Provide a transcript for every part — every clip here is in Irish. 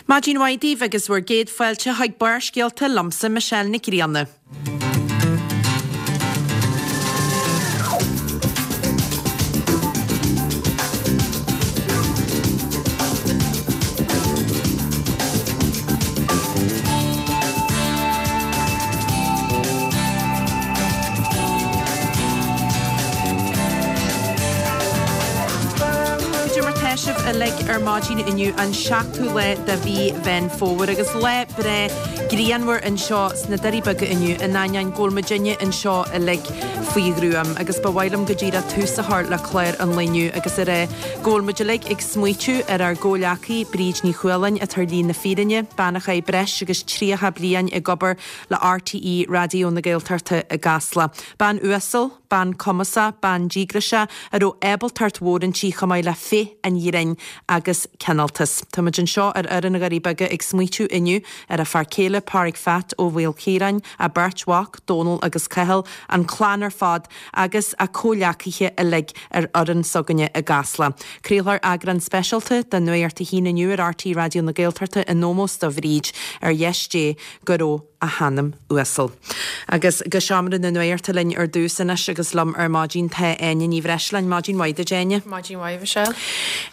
Maidin mhaith daoibh agus bhur gcéad fáilte chuig Barrscéalta liomsa Michelle Nic Grianna. Cad é mar tá sibh uilig ar maidin inniu an 7ú lá de mhí Mheán Fómhair agus lá breá grianmhar anseo sna Doirí Beaga inniu in ainneoin go bhfuil muidinne anseo uilig faoi ghruaim agus ba mhaith liom go díreach tús a chur le clár an lae inniu agus a rá go bhfuil muid uilig ag smaoitiú ar ár gcomhghleacaí Bríd Ní Chualáin atá ar shlí na fírinne, bean a chaith breis agus 30 bliain ag obair le RTÉ Raidió na Gaeltachta i gCasla. Bean uasal, bean cumasach, bean díograiseach a raibh ábaltacht mhór inti chomh maith le féith an ghrinn agus cineáltas. Tá muid anseo ar fhoireann na nDoirí Beaga ag smaoitiú inniu ar a fear céile Páraic Pheait Ó Mhaoilchiaráin, a beirt mhac, Dónal agus Cathal, an clann ar fad agus a comhghleacaithe uilig ar fhoireann s'againne i gCasla. Craolfar eagrán speisialta de Nuacht a hAon inniu ar RTÉ Raidió na Gaeltachta in ómós do Bhríd, ar dheis Dé go raibh a hanam uasal. Agus go seomra na nuachta linn ar dtús anois agus liom ar maidin tá Áine Ní Bhreisleáin. Maidin mhaith duit, Áine. Maidin mhaith, Michelle.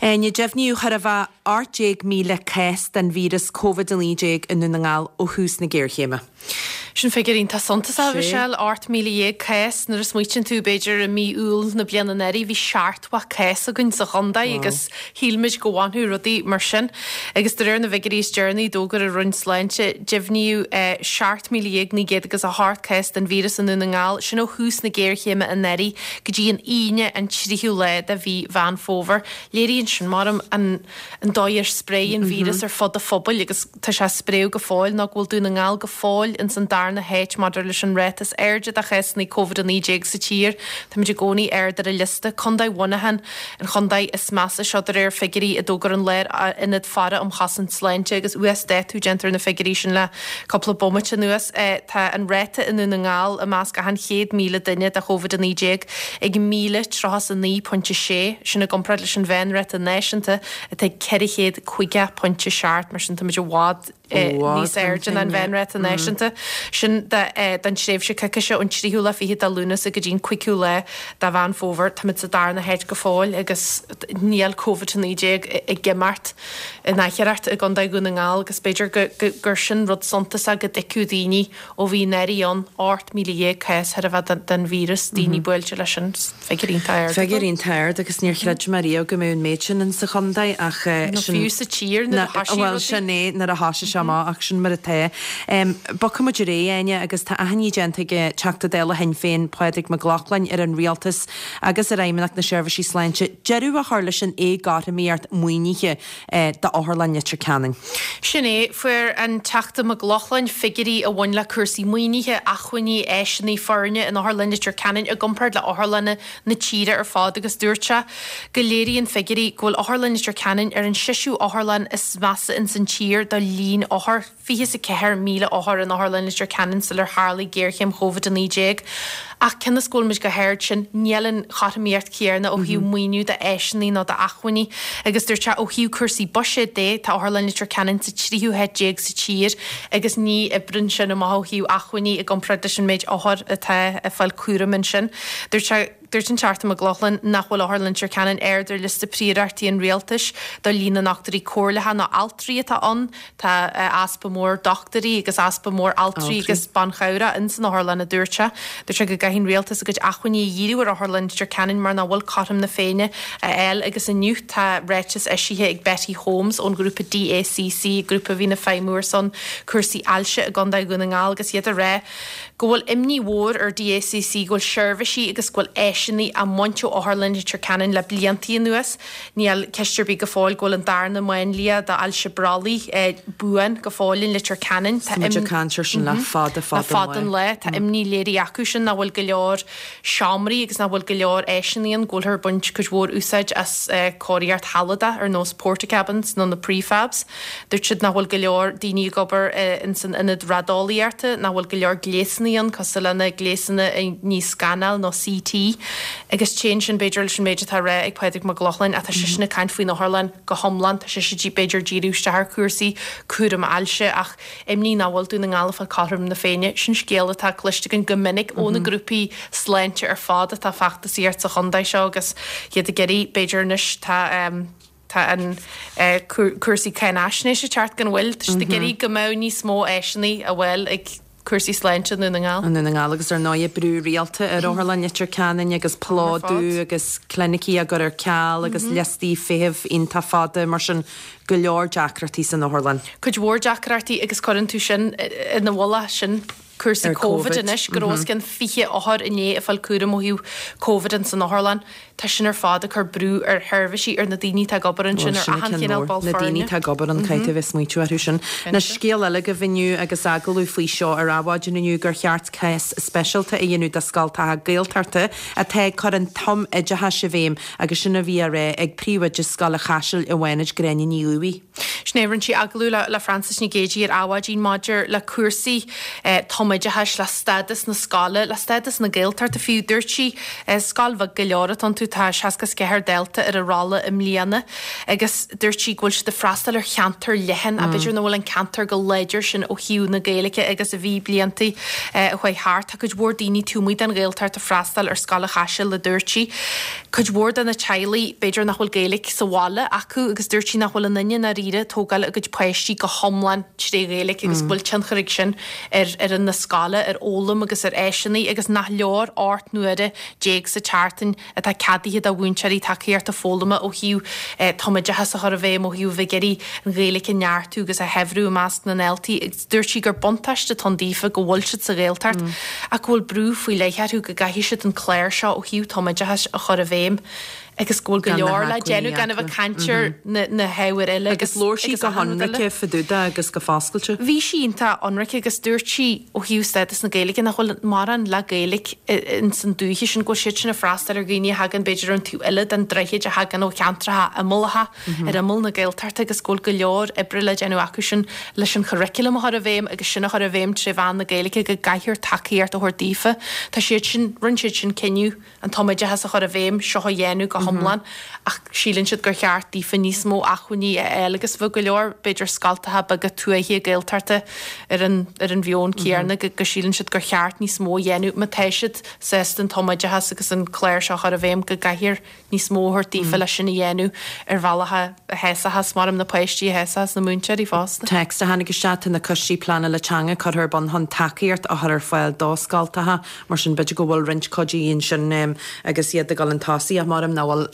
Áine, deimhníodh chóir a bheith 18,000 cás den víreas Covid-19 i nDún na nGall ó thús na géarchéime. Sin figiúr iontach suntasach, a Mhichelle, 18,000 cás. Nuair a smaoitíonn tú, b'fhéidir i mí Iúil na bliana anuraidh, bhí seachtmhadh cás againn sa chontae agus shíl muid go bhfanfadh rudaí mar sin. Agus de réir na bhfigiúirí is deireanaí, d'fhógair an Roinn Sláinte, deimhníodh 17,900 agus 8 cás den víreas i Ndún na nGall, sin ó thús na géarchéime anuraidh go dtí an Aoine an tríú lá de mhí Mheán Fómhair. Léiríonn sin, maram, an dóigh ar spréigh an víreas ar fud an phobail agus. Tá sé ag spréadh go fóill nó go bhfuil Dún na nGall go fóill ins an darna háit maidir leis an ráta is airde de chásanna Covid-19 sa tír. Táimid i gcónaí ard ar an liosta. Contae Mhuineacháin an chontae is measa seo de réir figiúirí a d'fhógair an Lárionad Faire um Chosaint Sláinte agus uasdátú déanta ar na figiúirí sin le cúpla bomaite anuas. Tá an ráta i nDún na nGall i measc achan 100,000 duine de Covid-19 ag 1,039.6, sin i gcomparáid leis an mheánráta náisiúnta atá ag 450.7, mar sin táimid i bhfad níos airde ná an mheánráta náisiúnta. Sin don tréimhse coicíse ón tríú lá fichead de Lúnasa go dtí an cúigiú lá de Mheán Fómhair. Táimid sa darna háit go fóill agus níl Covid-19 ag imeacht in ao'chor i gContae Dhún na nGall agus b'fhéidir gur sin rud suntasach go dtuigfeadh daoine Ó bhí anuraidh ann, 18,000 cás chóir a bheith den víreas, daoine buailte leis sin, figiúr iontach ard. Figiúr iontach ard agus níor chreid mé riamh go mbeadh an méid sin in sa chontae ach sin. Nó fiú sa tír nuair a thoisigh rudaí. Bhuel sin é, nuair a thoisigh sé amach ach sin mar atá. Bogfaidh muid ar aghaidh, Áine, agus tá achainí déanta ag Teachta Dála Shinn Féin, Pádraig Mac Lochlainn, ar an Rialtas agus ar Fheidhmeannacht na Seirbhísí Sláinte deireadh a chur leis an éagothromaíocht maoinithe d'Otharlann Leitir Ceanainn. Sin é, fuair an Teachta Mac Lochlainn figiúirí a bhain le cúrsaí maoinithe, acmhainní, áiseanna, foirne in Otharlann Leitir Ceanainn i gcomparáid le otharlanna na tíre ar fad agus dúirt sé go léiríonn figiúirí go bhfuil Otharlann Leitir Ceanainn ar an seisiú otharlann is measa ins an tír do líon othar. 24,000 othar in Otharlann Leitir Ceanainn sular tharlaigh géarchéim Covid-19. Ach cionn is go bhfuil muid chomh hard sin, níl an chothromaíocht chéanna ó thaobh maoiniú d'áiseanna nó d'acmhainní. Agus dúirt sé, ó thaobh cúrsaí buiséid de, tá Otharlann Leitir Ceanainn sa tríú háit déag sa tír agus ní oibreann sin amach ó thaobh acmhainní i gcomparáid leis an méid othar atá ag fáil cúraim ansin. Dúirt sé. Dúirt an Teachta Mac Lochlainn nach bhfuil Otharlann Leitir Ceanainn ard ar liosta príorachtaí an Rialtais do líon na ndochtúirí comhairleacha nó altraí atá ann. Tá easpa mór dochtúirí agus easpa mór altraí agus banchabhrach ins an otharlann, a dúirt sé. Dúirt sé go gcaithfidh an Rialtas a gcuid acmhainní a dhíriú ar Otharlann Leitir Ceanainn mar nach bhfuil cothrom na Féinne a fháil agus inniu tá ráiteas eisithe ag Betty Holmes ón ghrúpa DACC, grúpa a bhíonn ag feidhmiú ar son cúrsaí ailse i gContae Dhún na nGall agus iad ag rá go bhfuil imní mhór ar DACC go bhfuil seirbhísí agus go bhfuil áiseanna á mbaint ó Otharlann Leitir Ceanainn le bliantaí anuas. Níl ceist ar bith go fóill go bhfuil an darna máinlia d'ailse brollaigh buan go fóill in Leitir Ceanainn. Tá muid ag caint ar sin le fada, fada an lá. Le fada an lá. Tá imní léirithe acu sin nach bhfuil go leor seomraí agus nach bhfuil go leor áiseanna ann, go bhfuilthear ag baint cuid mhór úsáid as cóiríocht shealadach ar nós portacabins nó na prefabs. Dúirt siad nach bhfuil go leor daoine ag obair ins an ionad raideolaíochta, nach bhfuil go leor gléasanna ann cosúil le na gléasanna a ní scanáil nó CT. Agus téann sin, b'fhéidir, leis an méid atá á rá ag Pádraig Mac Lochlainn, ach tá seisean ag caint faoin otharlann go hiomlán, tá sise b'fhéidir díriú isteach ar chúrsaí cúram ailse ach imní nach bhfuil Dún na nGall ag fáil cothrom na Féinne. Sin scéal atá cloiste againn go minic ó na grúpaí sláinte ar fad atá ag feachtasaíocht sa chontae seo agus iad ag iarraidh, b'fhéidir anois tá tá an cúrsaí cáinaisnéise ag teacht gan mhoill, tá siad ag iarraidh go mbeadh níos mó áiseanna á bhfáil ag cúrsaí sláinte i nDún na nGall. I nDún na nGall agus ar ndóigh brú rialta ar Otharlann Leitir Ceanainn agus plódú agus clinicí á gcur ar ceal agus liostaí feithimh iontach fada mar sin go leor deacrachtaí san otharlann. Cuid mhór deacrachtaí agus cuireann tú sin ina mhullach sin cúrsaí Covid anois, go raibh os cionn 20 othar inné ag fáil cúram ó thaobh Covid ins an otharlann. Tá sin ar fad ag cur brú ar sheirbhísí, ar na daoine atá ag obair ansin, ar achan chineál ball foirne. Na daoine atá ag obair ann, caithfidh tú a bheith ag smaointiú orthu sin. Anois, scéal eile agaibh inniu agus agallamh faoi seo ar Adhmhaidin inniu gur cheart cás speisialta a dhéanamh do scoltacha Gaeltachta atá ag cur an tumoideachais i bhfeidhm agus sin a bhí á rá ag príomhoide Scoil an Chaisil i bhFánaid, Gráinne Ní Dhubhthaigh. Sin é, rinne sí agallamh le Frances Nic Géadaigh ar Adhmhaidin maidir le cúrsaí tumoideachais, le stádas na scoile, le stádas na Gaeltachta fiú. Dúirt sí, scoil bheag go leor atá iontu, tá 64 dalta ar an rolla i mbliana agus dúirt sí go bhfuil siad ag freastal ar cheantar leathan ach b'fhéidir nach bhfuil an ceantar chomh láidir sin ó thaobh na Gaeilge agus a bhí blianta a chuaigh thart. Tá cuid mhór daoine taobh amuigh den Ghaeltacht ag freastal ar Scoil an Chaisil, a dúirt sí. Cuid mhór de na teaghlaigh, b'fhéidir nach bhfuil Gaeilge sa bhaile acu agus dúirt sí nach bhfuil aon duine i ndáiríre ag tógáil a gcuid páistí go hiomlán tré Ghaeilge agus go bhfuil tionchar ag sin ar fhoireann na scoile, ar fhoghlaim agus ar áiseanna agus nach leor 18 n-uaire sa tseachtain atá ceadaithe do mhúinteoirí tacaíochta foghlama ó thaobh tumoideachas a chur i bhfeidhm, ó thaobh a bheith ag iarraidh an Ghaeilge a neartú agus a shaibhriú i measc na ndaltaí. Dúirt sí gur buntáiste atá ann daofa go bhfuil siad sa Ghaeltacht ach go bhfuil brú faoi leith orthu go gcaithfidh siad an clár seo ó thaobh tumoideachais a chur i bhfeidhm agus go bhfuil go leor le déanamh gan a bheith ag caint ar na hábhair eile agus Agus labhair sí go hionraice fá dtaobh de agus go foscailte. Bhí sí iontach ionraic agus dúirt sí ó thaobh stádas na Gaeilge nach bhfuil mórán le Gaeilge ins an dúiche sin, go bhfuil siad sin ag freastal ar dhaoine a thagann b'fhéidir ón taobh eile den droichead a thagann ó cheantracha imeallacha. ar imeall na Gaeltachta agus go bhfuil go leor oibre le déanamh acu sin leis an churriculum a chur i bhfeidhm agus sin a chur i bhfeidhm tré mheán na Gaeilge go gcaithfear tacaíocht a thabhairt daofa. Tá siad sin, rinne siad sin cinneadh an tumoideachas a chur i bhfeidhm, seo a dhéanamh go hiomlán ach síleann siad gur cheart daofa níos mó acmhainní a fháil agus bheadh go leor b'fhéidir scoltacha beaga tuaithe Gaeltachta ar an ar an mheon céanna go go síleann siad gur cheart níos mó a dhéanamh má tá siad sásta an tumoideachas agus an clár seo a chur i bhfeidhm go gcaithfear níos mó a thabhairt daofa leis sin a dhéanamh ar bhealach a shásaíos, maram, na páistí, a shásaíos na múinteoirí fosta. Téacs a tháinig isteach, Tá na coistí pleanála teanga curtha ar bun chun tacaíocht a chur ar fáil do scoltacha, mar sin b'fhéidir go bhfuil roinnt cuidí ansin agus iad ag dul chun tosaigh ach maram nach bhfuil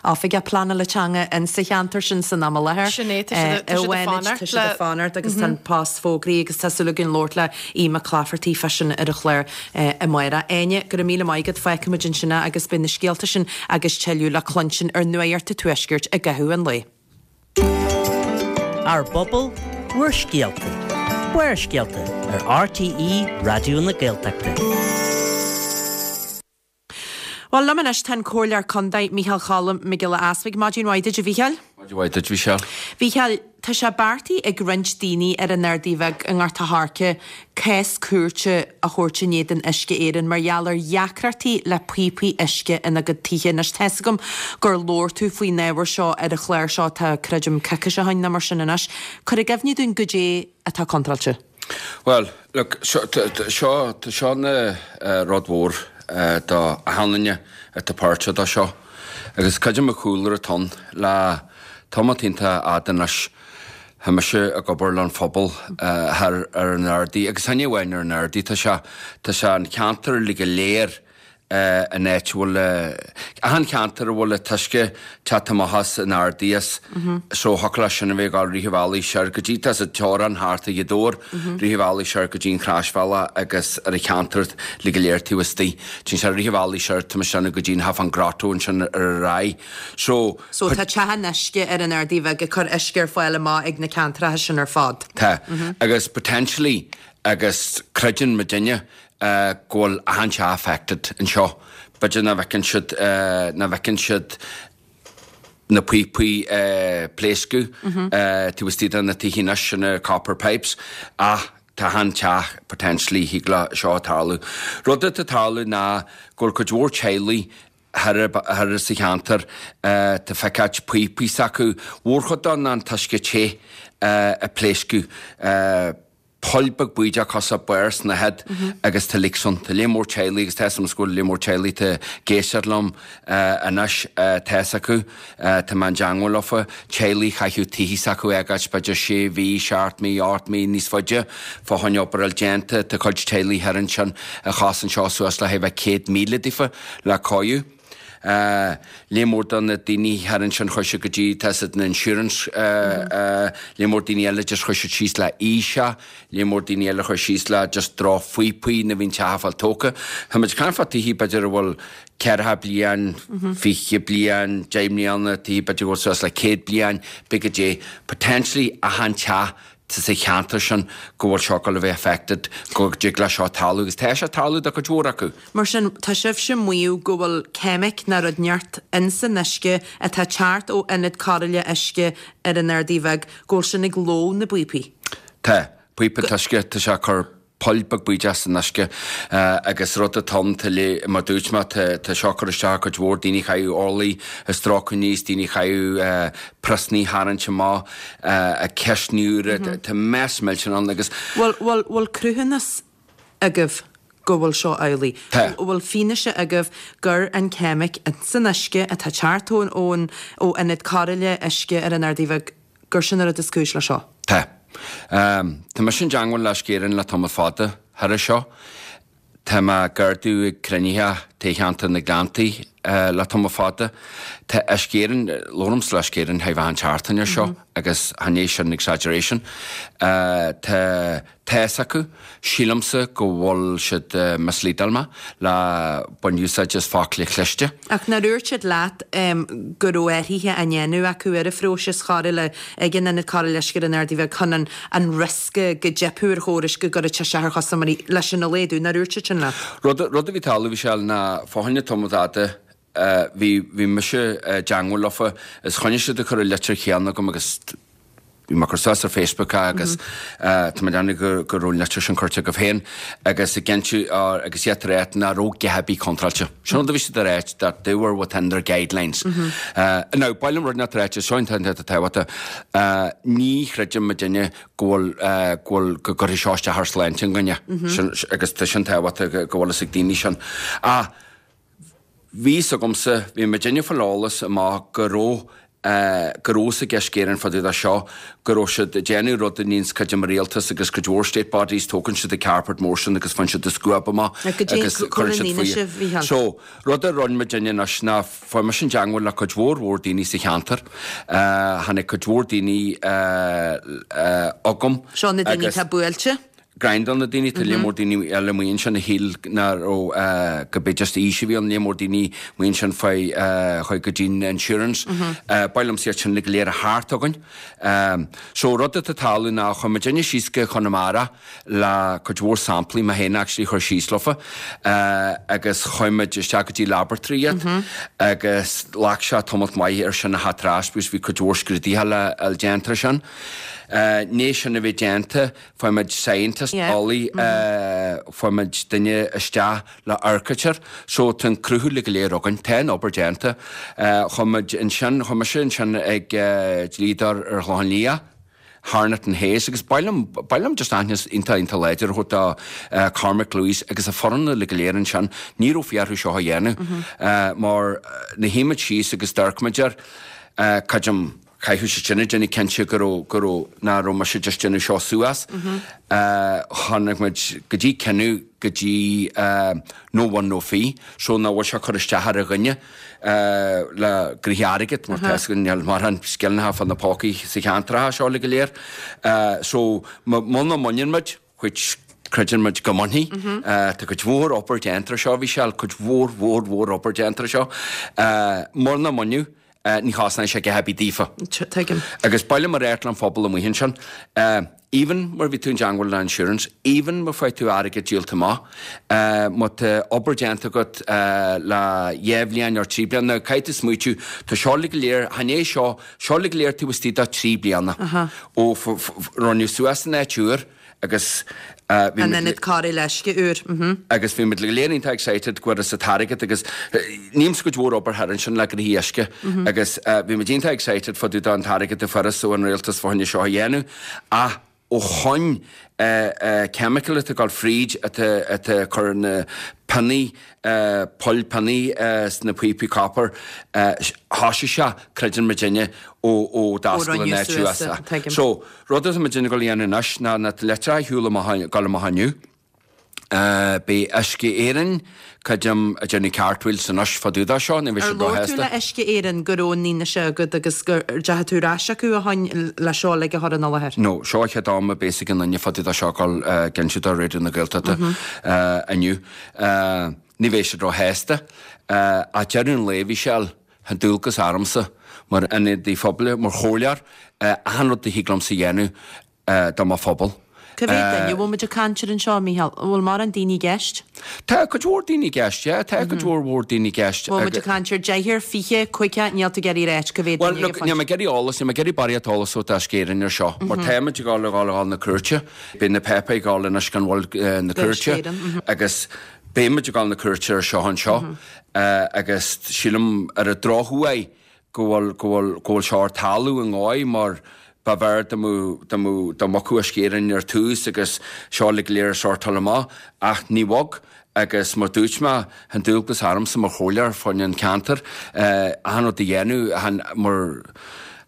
oifigeach pleanála teanga in sa cheantar sin san am i láthair. Sin é, tá siad ag fanacht le. Tá siad ag fanacht agus tá an post fógraithe agus tá súil againn labhairt le Aodh Mac Laifeartaigh fá sin ar an chlár. Amárach. Áine, go raibh míle maith agat, fágfaidh muid ansin é agus beidh na scéalta sin agus tuilleadh le cluinstin ar Nuacht an Tuaiscirt i gcaitheamh an lae. Ár bPobal, Bhur Scéalta, Barrscéalta ar RTÉ Raidió na Gaeltachta. Bhuel, liom anois tá an Comhairleoir Contae, Micheál Cholm Mac Giolla Easbuig. Maidin mhaith duit, a Mhícheáil. Maidin mhaith duit, Mhichelle. Mhícheáil, tá sé beartaithe ag roinnt daoine ar an Ardaidh Bheag i nGort a' Choirce cás cúirte a thabhairt in éadan Uisce Éireann mar gheall ar dheacrachtaí le píopaí uisce ina gcuid tithe. Anois, tá's agam gur labhair tú faoin ábhar seo ar an chlár seo, tá, creidim, coicís ó shin nó mar sin anois. Cuir i gcuimhne dúinn goidé atá contráilte. Bhuel, look, seo, tá seo ina rud mhór do achan duine atá páirteach do seo. Agus cuid de mo chúlra atá ann le tamall iontach fhada anois, tá mise ag obair le an phobal thar ar an Ardaidh, agus chan amháin ar an Ardaidh, tá sé, tá sé an ceantar uilig go léir an áit a bhfuil, achan cheantar a bhfuil an t-uisce ag teacht amach as an Ardaidh as, so thiocfadh leis sin a bheith ag dul rith an bhealaigh soir go dtí, tá sa teorainn thart ar Ghaoth Dobhair, rith an bhealaigh soir go dtí an Chroisbhealach agus ar an cheantar uilig go léir taobh istigh. Téann sé rith an bhealaigh soir, tá mise go dtí an Half an Grotto ansin ar ar aghaidh. So. So tá teach an uisce ar an Ardaidh Bheag ag cur uisce ar fáil amach ag na ceantracha sin ar fad. Tá. Agus potentially, agus creideann muidinne, go bhfuil achan teach affected anseo. B'fhéidir nach bhfeiceann siad, nach bhfeiceann siad na píopaí ag pléascadh taobh istigh de na tithe anois, na copper pipes, ach. tá achan teach potentially thig le seo tarlú. Rud atá ag tarlú ná go bhfuil cuid mhór teaghlaigh thoir sa cheantar, tá feiceáit píopaí s'acu, mhórchuid dó ná an t-uisce te ag pléascadh. Poll beag bídeach cosúil le barr snáthaid agus tá leaks ann. Tá lear mór teaghlaigh agus tá 'fhios a'm go bhfuil lear mór teaghlaigh tá ag éisteacht liom anois tá 'fhios acu, tá mé i dteangmháil leofa, teaghlaigh chaithfeadh tithe s'acu a fhágáilt b'fhéidir sé mhí, seacht mí, ocht mí níos faide fá choinne obair a fháil déanta. Tá cuid teaghlaigh thoir ansin a chosain seo suas le thar 100,000 daofa le cóiriú. Lear mór de na daoine thoir ansin chuaigh siad go dtí, tá 'fhios a'd na insurance, lear mór daoine eile just chuaigh siad síos le aois, lear mór daoine eile chuaigh síos le just drochphíopaí nuair a bhí an teach ag fáil tógtha. Tá muid ag caint fá tithe b'fhéidir a bhfuil ceathracha bliain, 20 bliain, 10 mbliana, tithe b'fhéidir go bhfuil suas le 100 bliain, b'fhéidir goidé, potentially achan teach sa cheantar sin go bhfuil seo ag gabháil a bheith affected, go dtig le seo tarlú agus tá sé ag tarlú do chuid mhór acu. Mar sin, tá sibhse ag maíomh go bhfuil ceimic ná rud inteacht ins an uisce atá ag teacht ó ionad cóireála uisce ar an Ardaidh Bheag, go bhfuil sin ag lobhadh na bpíopaí. Tá. Píopa an t-uisce, tá sé ag cur poll beag bídeach san uisce agus rud atá ann, tá le, mar dúirt mé, tá seo ag cur isteach ar cuid mhór daoine a chaithfeadh orlaí a stróiceadh aníos, daoine a chaithfeadh priosanna a tharraingt amach, cistní úra, tá mess millteanach ann agus. Bhfuil, bhfuil, bhfuil cruthúnas agaibh go bhfuil seo amhlaidh? Tá. Bhfuil fianaise agaibh gur an ceimic san uisce atá ag teacht ón, ón, ó ionad cóireála uisce ar an Ardaidh Bheag, gur sin an rud is cúis le seo? Tá. Tá mise i dteangmháil le Uisce Éireann le tamall fada thar seo. Tá mé ag ordú ag cruinnithe taobh cheantar na Gleanntaí le tamall fada. Tá Uisce Éireann, labhraímse le Uisce Éireann chóir a bheith achan tseachtain ar seo agus chan é sin exaggeration. Tá Tá 'fhios acu, sílimse go bhfuil siad misleadáil mé le baint úsáid as focla cliste. Ach nár dhúirt siad leat go raibh athruithe á ndéanamh acu ar an phróiseas chóireála ag an Ionad Cóireála Uisce ar an Ardaidh Bheag chun an an riosca go dteipfeadh ar chórais go gcuirfeadh sé isteach ar chustaiméirí leis sin a laghdú, nár dhúirt siad sin leat? Rud rud a bhí ag tarlú a Mhichelle ná fá choinne tamall fada bhí bhí mise i dteangmháil leofa is choinnigh siad ag cur an litir chéanna chugam agus bhí mé ag cur suas ar Facebook é agus tá mé ag déanamh go go raibh an litir sin curtha agaibh féin agus ag cinntiú agus iad ag ráit nach raibh a dhath ar bith contráilte. Sin rud a bhí siad ag ráit that they were within their guidelines. Now, ba mhaith liom rud inteacht a ráit, seo an t-aon rud atá tábhachtach, ní chreideann muidinne go bhfuil go bhfuil go gcuirfidh seo isteach ar shláinte an duine sin agus tá sin tábhachtach go bhfuil fhios ag daoine sin. Ach Bhí 'fhios agamsa, bhí muidinne ag fáil eolas amach go raibh, go raibh fhios ag Uisce Éireann fá dtaobh de seo, go raibh siad ag déanamh rud a níonns cuid de mo rialtas agus cuid mhór state bodies, tógann siad an carpet mór sin agus faigheann siad an scuab amach agus cuireann siad faoi. So, rud a rinne muidinne anois ná fuair mise i dteangmháil le cuid mhór mhór daoine sa cheantar, tháinig cuid mhór daoine chugam Seo na daoine atá buailte. Grind on na daoine, tá lear mór daoine eile amuigh ansin a shíl nach raibh, go b'é just aois a bhí ann, lear mór daoine amuigh ansin faoi, chuaigh go dtí'n insurance. Ba mhaith liomsa iad sin go léir a theacht chugainn. So rud atá ag tarlú ná chuir muidinne síos go Conamara le cuid mhór samplaí, mé féin actually chuir síos leofa, agus chuir muid isteach go dtí laboratory iad agus ghlac sé tamalt maith ar sin a theacht ar ais because bhí cuid mhór scrúduithe le fháil déanta ar sin. Ndiaidh sin a bheith déanta, Fuair muid scientist, eolaí, fuair muid duine isteach le amharc air. So tá an cruthú uilig go léir againn, tá an obair déanta. Chuaigh muid ansin, chuaigh mise ansin ag dlíodóir ar an Chlochán Liath, Harnett and Hayes, agus ba mhaith liom, ba mhaith liom just aitheantas iontach, iontach láidir a thabhairt do Cormac Lewis agus a foireann uilig go léir ansin. Ní raibh fiú orthu seo a dhéanamh mar nuair a shuigh muid síos agus d'amharc muid air, creidim, Chaithfeadh siad sin a déanamh cinnte go raibh, go raibh, nach raibh mise just déanamh seo suas. Tháinig muid go dtí cinneadh go dtí no one no fee, so nach bhfuil sé ag cur isteach ar a dhuine le gnoithe airgid mar tá 'fhios againn níl mórán scileanna fá na pócaí sa cheantracha seo uilig go léir. So muna mbaineann muid, which creideann muid go mbainfidh. Tá cuid mhór obair déanta ar seo, a Mhichelle, cuid mhór mhór mhór obair déanta ar seo. Muna mbaineadh, ní chosnóidh sé a dhath ar bith daofa. Tuigim. Agus ba mhaith liom a ráit leis an phobal amuigh ansin, even má bhí tú i dteangmháil le insurance, even má fuair tú airgead díolta amach, má tá obair déanta agat le dhá bhliain nó trí bliana, now caithfidh tú smaoitiú, tá seo uilig go léir, chan é seo, seo uilig go léir taobh istigh de trí bliana ó rinneadh suas an áit úr. Agus bhí An ionad cóireála uisce úr. Agus bhí muid go léir iontach excited go bhfuarthas an t-airgead agus nílimse cuid mhór obair thar ansin le gnoithí uisce agus bhí muid iontach excited fá dtaobh den t-airgead a fuarthas ó an rialtas fá choinne seo a dhéanamh ach ó shoin chemical atá ag dul fríd atá atá ag cur na pionnaí poill pionnaí sna píopaí copper thoisigh sé creideann muidinne ó ó d'oscail an áit suas. So Rud atá muidinne ag dul a dhéanamh anois ná na litreacha a shiúl amach, ag dul amach inniu. Beidh Uisce Éireann, creidim, ag déanamh cartwheels anois fá dtaobh de seo, ní bheidh Ar siad labhair tú róshásta. le Uisce Éireann go raibh an fhianaise agat agus go ndeachaigh tú ar ais acu ó shoin le seo uilig a chur ina láthair? No, seo an chéad am a bheas ag aon duine fá dtaobh de seo ag dul ag inse do Raidió na Gaeltachta inniu. Ní bheidh siad róshásta. Ach deireadh an lae, a Mhichelle, Tá dualgas ormsa, mar ionadaí phobail, mar chomhairleoir, achan rud a thig liomsa a dhéanamh do mo phobal. Cá mhéad duine a bhfuil muid ag caint air anseo, a Mhícheáil? An bhfuil mórán daoine i gceist? Tá cuid mhór daoine i gceist, yeah, tá cuid mhór mhór daoine i gceist. Bhfuil muid ag caint ar deichniúr, fiche, caoga, níl tú ag iarraidh a ráit cá mhéad Bhuel, duine look, níl mé ag iarraidh eolas, níl mé ag iarraidh barraíocht eolas a thabhairt d'Uisce Éireann ar seo, mar tá muid ag dul a dhul a dhul na cúirte, beidh na páipéir ag dul anois gan mhoill na cúirte agus beidh muid ag dul na cúirte ar seo anseo. Agus sílim ar an drochuair go bhfuil, go bhfuil, go bhfuil seo ag tarlú i ndóigh mar ba bhfearr dá mbeadh, dá mbeadh, dá mbogfadh Uisce Éireann ar tús agus seo uilig go léir a shortáil amach ach ní bhog agus mar dúirt mé, tá an dualgas ormsa mar chomhairleoir fá choinne an ceantar achan rud a dhéanamh, chan mar,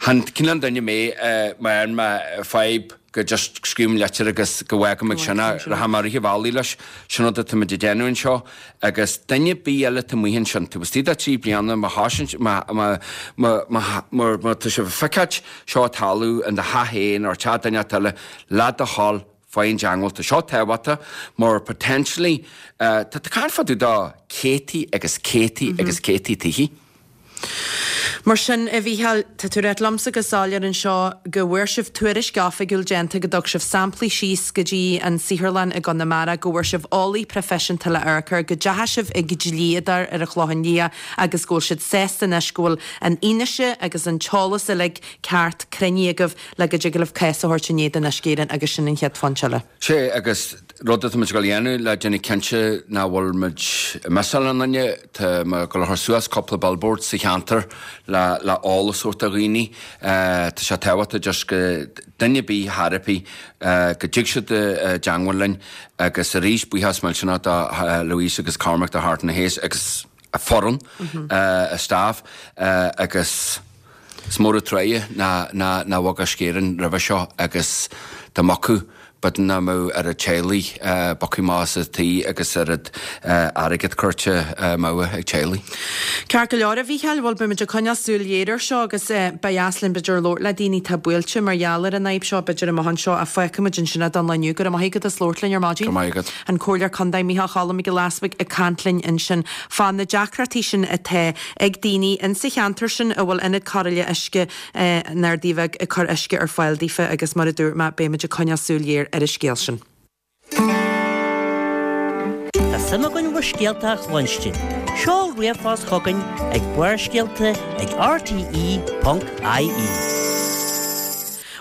chan cineál duine mé má fhaigheann mé fadhb go just scríobhaim litir agus go bhfágaim ag sin é, rachaidh mé rith an bhealaigh leis, sin rud atá muid ag déanamh anseo agus duine ar bith eile atá amuigh ansin, taobh istigh de thrí bliana, má thosaíonn, má, má, má, má, má, má tá sibh ag feiceáilt seo ag tarlú in do theach féin or teach duine inteacht eile, le do thoil, faigh i dteangmháil, tá seo tábhachtach mar potentially, tá tú ag caint fá dtaobh de céadtaí agus céadtaí agus céadtaí tithe. Mar sin, a Mhícheáil, tá tú ag ráit liomsa go soiléir anseo go bhfuair sibh tuairisc oifigiúil déanta, go dtug sibh samplaí síos go dtí an saotharlann i gConamara, go bhfuair sibh eolaí proifisiúnta le amharc air, go dteachaigh sibh ag dlíodóir ar an Chlochán Liath agus go bhfuil siad sásta anois go bhfuil an fhianaise agus an t-eolas uilig ceart cruinnithe agaibh le go dtig libh cás a thabhairt in éadan Uisce Éireann agus sin an chéad phointe eile. Sea, agus rud atá muid ag dul a dhéanamh le déanamh cinnte nach bhfuil muid ag missáil aon duine, tá mé ag dul a chur suas cúpla billboard sa cheantar le le eolas a thabhairt do dhaoine. Tá sé tábhachtach just go duine ar bith thar ar bith go dtig siad i dteangmháil linn agus arís buíochas millteanach do Louise agus Cormac do Harte and Hayes agus a foireann, a staff agus. Is mór an truaighe nár bhog Uisce Éireann roimhe seo agus dá mbogfadh, b'fhéidir nach mbeadh oiread teaghlaigh bogtha amach as a dtithe agus oiread airgead curtha amú ag teaghlaigh. Ceart go leor, a Mhícheáil, bhuel beidh muid ag coinneáil súil ghéar air seo agus ba dheas linn b'fhéidir labhairt le daoine atá buailte mar gheall ar an fhadhb seo b'fhéidir amach anseo ach fágfaidh muid ansin é don lá inniu. Go raibh maith agat as labhairt linn ar maidin. Go raibh maith agat. An Comhairleoir Contae Micheál Cholm Mac Giolla Easbuig ag caint linn ansin fá na deacrachtaí sin atá ag daoine insa cheantar sin a bhfuil Ionad Cóireála Uisce an Ardaidh Bhig ag cur uisce ar fáil daofa agus mar a dúirt mé beidh muid ag coinneáil súil ghéar ar an scéal sin. Tá suim againn bhur scéalta a chluinstin. Seol ríomhphost chugainn ag barrscéalta ag rte.ie.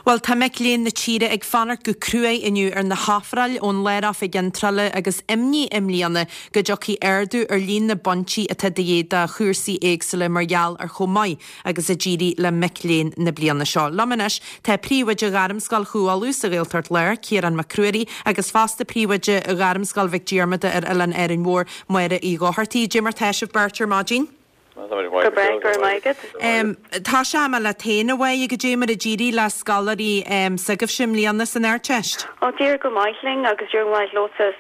Bhuel, tá mic léinn na tíre ag fanacht go cruaidh inniu ar na hofráil ón Lár-Oifig Iontrála agus imní i mbliana go dtiocfaidh ardú ar líon na bpointí atá de dhíth do chúrsaí éagsúla mar gheall ar chomh maith agus a d'éirigh le mic léinn na bliana seo. Liom anois tá Príomhoide Ghairmscoil Chú Uladh sa Ghaeltacht Láir, Ciarán Mac Ruairí, agus fosta Príomhoide Ghairmscoil Mhic Diarmada ar Oileán Árainn Mhór, Máire Uí Dhochartaigh. Dé mar tá sibh beirt ar maidin? Go breá, go raibh maith agat. Tosóidh mé leat féin, a Mháire, goidé mar a d'éirigh le scoláirí s'agaibhse i mbliana san Ardteist? Ó, d'éirigh go maith linn agus d'éirigh go maith leo sa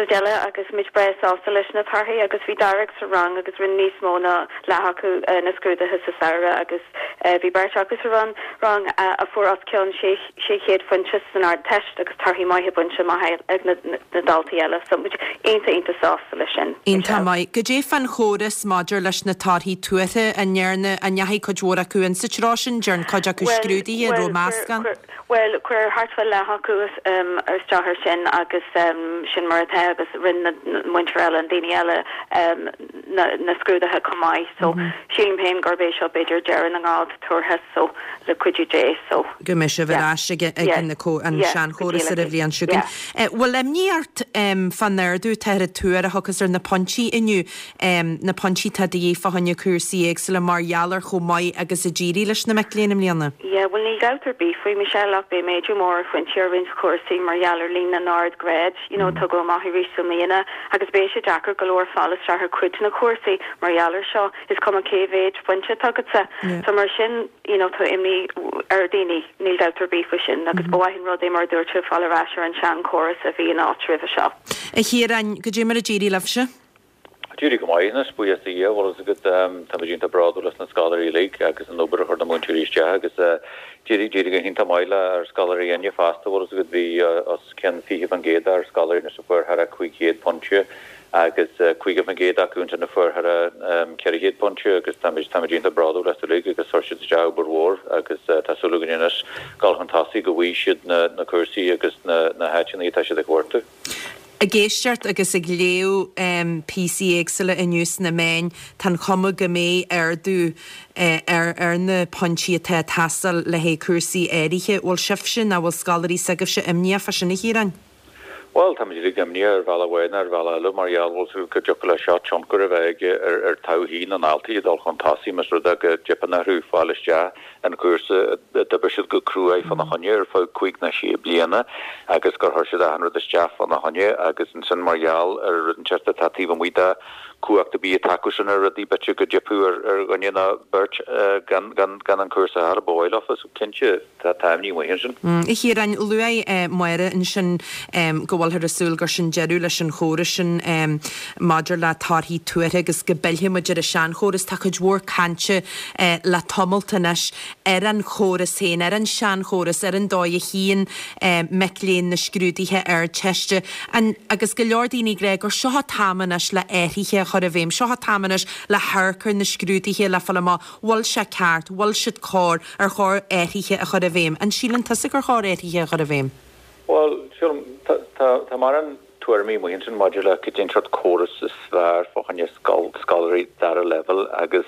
deireadh agus muid breá sásta leis na torthaí agus bhí dáréag sa rang agus rinne níos mó ná leath acu na scrúduithe sa samhradh agus bhí beirt acu sa rang a fuair os cionn 600 phointe san Ardteist agus torthaí maithe bainte amach ag na daltaí eile so muid iontach iontach sásta leis sin. Iontach maith. Goidé fán chóras maidir leis na torthaí tuartha, an ndearna, an ndeachaigh cuid mhór acu insa treo sin, ndearn cuid acu scrúduithe, an raibh meascán? Bhuel, chuir thart fá leath acu isteach ar sin agus sin mar atá agus rinne na muintir eile, na daoine eile na scrúduithe chomh maith. So, sílim féin gurb é seo b'fhéidir deireadh na ngrád tuartha so, le cuidiú Dé. So, go mbeidh sibh ar ais ag an seanchóras ar an bhliain seo chugainn. Bhfuil imní ort fán ardú atá ar an tuar a thiocfas ar na pointí inniu? na pointí atá de dhíth fá choinne cúrsaí éagsúla mar gheall ar chomh maith agus a d'éirigh leis na mic léinn i mbliana. Yeah, bhuel níl dabht ar bith faoi, Michelle, ach beidh méadú mór ar phointí ar roinnt chúrsaí mar gheall ar líon na n-ard-ghrád, you know, a tugadh amach arís i mbliana agus beidh sé deacair go leor fáil isteach ar cuid de na cúrsaí mar gheall ar seo, is cuma cé mhéid pointe atá agatsa. So mar sin, you know, tá imní ar dhaoine, níl dabht ar bith faoi sin agus ba mhaith an rud é mar a dúirt tú fáil ar ais ar an sean-chóras a bhí in áit roimhe seo. A Chiaráin, goidé mar a d'éirigh libhse? D'éirigh go maith anois, buíochas do Dhia, bhfuil fhios agat. Táimid iontach bródúil as na scoláirí uilig agus an obair a chuir na múinteoirí isteach agus d'éirigh, d'éirigh go hiontach maith le ár scoláirí inniu fosta, bhfuil fhios agat, bhí os cionn 20% dár scoláirí anois a fuair thar a 500 pointe agus 50% acu ansin a fuair thar a 400 pointe agus táimid, táimid iontach bródúil astu uilig agus chuir siad isteach obair mhór agus tá súil againn anois dul chun tosaigh go bhfaighidh siad na, na cúrsaí agus na, na háiteanna atá siad ag cuartú. Ag éisteacht agus ag léamh píosaí éagsúla inniu sna meáin, tá an chuma go mbeidh ardú ar na pointí atá ag teastáil le haghaidh cúrsaí áirithe. Bhfuil sibhse nó bhfuil scoláirí s'agaibhse imníoch fá sin, a Chiaráin? Bhuel, táimid uilig imníoch ar bhealach amháin nó ar bhealach eile mar gheall, bhfuil fhios agat, go dtiocfadh leis seo tionchar a bheith aige ar todhchaí na ndaltaí ag dul chun tosaigh más rud é go dteipeann orthu fáil isteach an cúrsa a d'oibir siad go cruaidh fána choinne ar feadh cúig nó sé bliana agus gur chuir siad achan rud isteach fána choinne agus ansin mar gheall ar rud inteacht atá taobh amuigh de chumhacht ar bith atá acusan ar rudaí b'fhéidir go dteipfeadh ar dhuine nó beirt gan gan an cúrsa a fháil ba mhaith leofa so cinnte tá tá imní amuigh ansin. A Chiaráin, luaigh Máire ansin go bhfuilthear ag súil gur sin deireadh leis an chóras sin maidir le torthaí tuartha agus go bpillfidh muid ar an seanchóras. Tá cuid mhór cainte le tamalt anois ar an chóras féin, ar an seanchóras, ar an dóigh a shuíonn mic léinn na scrúduithe Ardteiste. Agus go leor daoine ag rá gur seo an t-am anois le athruithe a chur i bhfeidhm, seo an t-am anois le hamharc ar na scrúduithe le fáil amach bhfuil sé ceart, bhfuil siad cóir, ar chóir athruithe a chur i bhfeidhm. An síleann tusa gur chóir athruithe a chur i bhfeidhm? Bhuel, sílim, tá mórán tuairimí amuigh ansin maidir le cad é an sórt córas is fearr fá choinne scoláirí dara leibhéal agus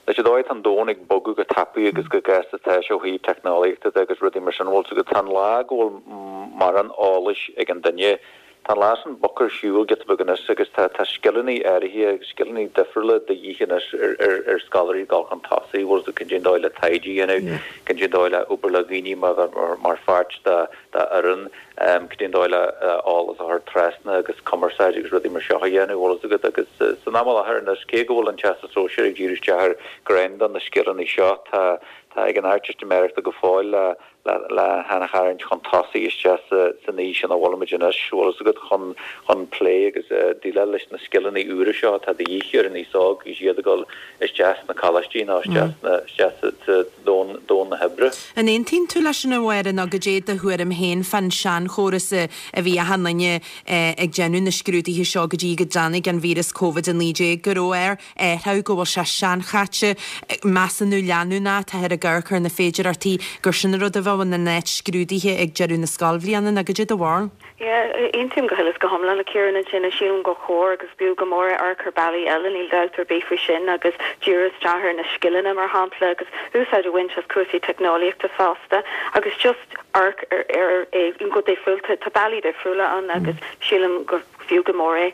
leis an dóigh atá an domhan ag bogadh go tapaidh agus go gasta atá sé ó thaobh teicneolaíochta de agus rudaí mar sin, bhfuil fhios agat, tá an lá go bhfuil mórán eolais ag an duine, tá an lá sin bogtha ar shiúl giota beag anois agus tá tá scileanna áirithe agus scileanna difriúla de dhíth anois ar ar ar scoláirí dul chun tosaigh, bhfuil fhios agat, cad é an dóigh le taighde a dhéanamh, cad é an dóigh le obair le dhaoine mar mar pháirt de de fhoireann. Cad é an dóigh le eolas a chur trasna agus cumarsáid agus rudaí mar seo a dhéanamh, bhfuil fhios agat. Agus san am i láthair anois, cé go bhfuil an Teastas Sóisearach ag díriú isteach ar ghreim de na scileanna seo, tá tá ag an Ardteistiméireachta go fóill le le le han-tharraingt chun tosaigh isteach sa san aois ina bhfuilimid anois, bhfuil fhios agat, chun chun plé agus déileáil leis na scileanna úra seo atá de dhíth ar an aos óg agus iad ag dul isteach sna coláistí nó isteach sna isteach sa sa domhan domhan na hoibre. An aontaíonn tú leis sin a Mháire nó goidé do thuairim féin fán seanchóras a bhí achan duine ag déanamh na scrúduithe seo go dtí go dtáinig an víreas Covid-19, go raibh air athrú, go bhfuil sé seanchaite, measúnú leanúnach, táthar ag amharc ar na féidearthachtaí gur sin an rud a bheadh in áit scrúduithe ag deireadh na scoilbhliana nó goidé do bharúil? Yeah, aontaím go huile is go hiomlán le Ciarán ansin. Sílim gur chóir agus b'fhiú go mór é amharc ar bealaí eile, níl dabht ar bith faoi sin, agus díriú isteach ar na scileanna, mar shampla, agus úsáid a bhaint as cúrsaí teicneolaíochta fosta, agus just amharc ar ar é go difriúil. Tá bealaí difriúla ann agus sílim gur fiú go mór é.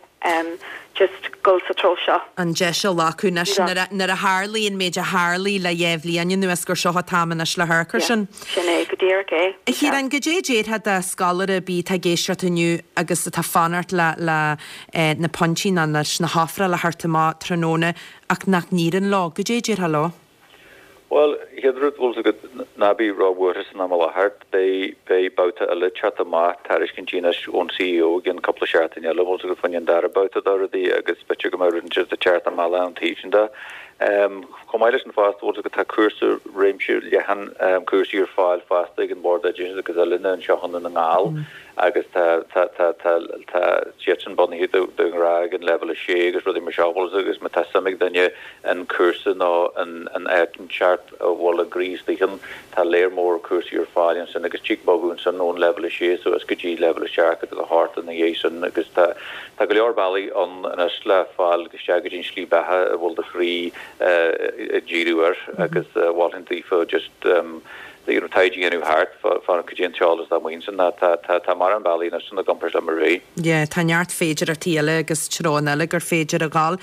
just dul sa treo seo. an deis a ghlacadh anois nuair a tharlaigh an méid a tharlaigh le dhá bhliain anuas gur seo an t-am anois le hamharc air sin. Sin é go díreach é. A Chiaráin, goidé a déarfá do scoláire ar bith atá ag éisteacht inniu agus atá ag fanacht le le na pointí nó leis na hofráil a theacht amach tráthnóna ach nach n-éiríonn leo, goidé a déarfá leo? Bhuel, chéad rud, bhfuil fhios agat, ná bí róbhuartha san am i láthair. Beidh, beidh babhta eile ag teacht amach, tairiscintí anois ón CEO i gcionn cúpla seachtain eile, bhfuil fhios agat, fá choinne an dara babhta de rudaí agus b'fhéidir go mbeidh rud inteacht ag teacht amach an taobh sin de. Chomh maith leis sin fosta, bhfuil tá cúrsa réimse leathan cúrsaí ar fáil fosta ag an Bord Oideachais agus Oiliúna anseo i nDún na nGall agus tá tá tá tá tá siadsan bunaithe de de ghnáth ag an leibhéal 6 agus rudaí mar seo bhfuil agus má tá suim ag duine in cúrsa nó in in áit inteacht a bhfuil a gcroí istigh ann tá léar mór cúrsaí ar fáil ansin agus tig bogadh ansin ón leibhéal 6 suas go dtí leibhéal 7 agus 8 ina dhiaidh sin agus tá tá go leor bealaí ann anois le fáil isteach go dtí an slí beatha a bhfuil do chroí ag díriú air agus mholfainn daofa just you know taighde a dhéanamh thart fá cad é an t-eolas atá amuigh ansin tá tá tá mórán bealaí anois i gcomparáid le mar a bhí. Yeah, tá neart féidireachtaí eile agus treonna eile gur féidir a dhul.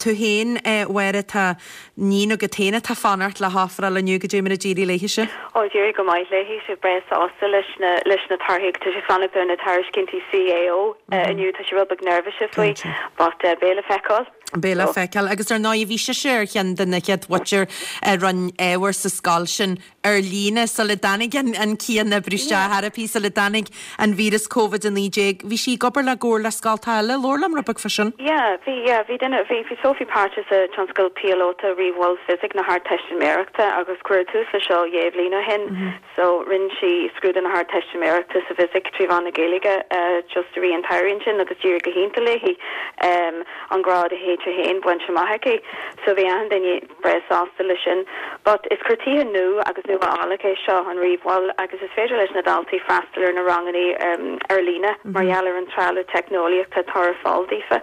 Tú féin, a Mháire, tá Níon agat féin atá ag fanacht le hofráil inniu, goidé mar a d'éirigh léithise? Ó, d'éirigh go maith léi, tá sí breá sásta leis na leis na torthaí agus tá sí ag fanacht ar na tairiscintí CAO inniu, tá sí rud beag neirbhíseach faoi but beidh le feiceáil. Beidh le feiceáil. Agus ar ndóigh bhí sise ar cheann de na chéad mhuintir a rinne ábhar sa scoil sin ar líne sula dtáinig an cianoibriú isteach, therapy, sula dtáinig an víreas Covid-19. Bhí sí ag obair le gcomhar le scoltacha eile. Labhair liom rud beag fá sin. Yeah, bhí, yeah, bhí duine, bhí, bhí Sophie páirteach sa tionscadal píolóta Ríomh-Mhol Fisic na hArdteistiméireachta agus cuireadh tús le seo dhé bhliain ó shin. So, rinne sí scrúdú na hArdteistiméireachta sa bhFisic trí mheán na Gaeilge just i rith an tsamhraidh ansin agus d'éirigh go hiontach léi an grád H1 bainte amach aici. So, bhí achan duine breá sásta leis sin. But is cur chuige nua agus nuálach é seo, an ríomh-mhol, agus is féidir leis na daltaí freastal ar na ranganna ar líne mar gheall ar an trealamh teicneolaíochta atá ar fáil daofa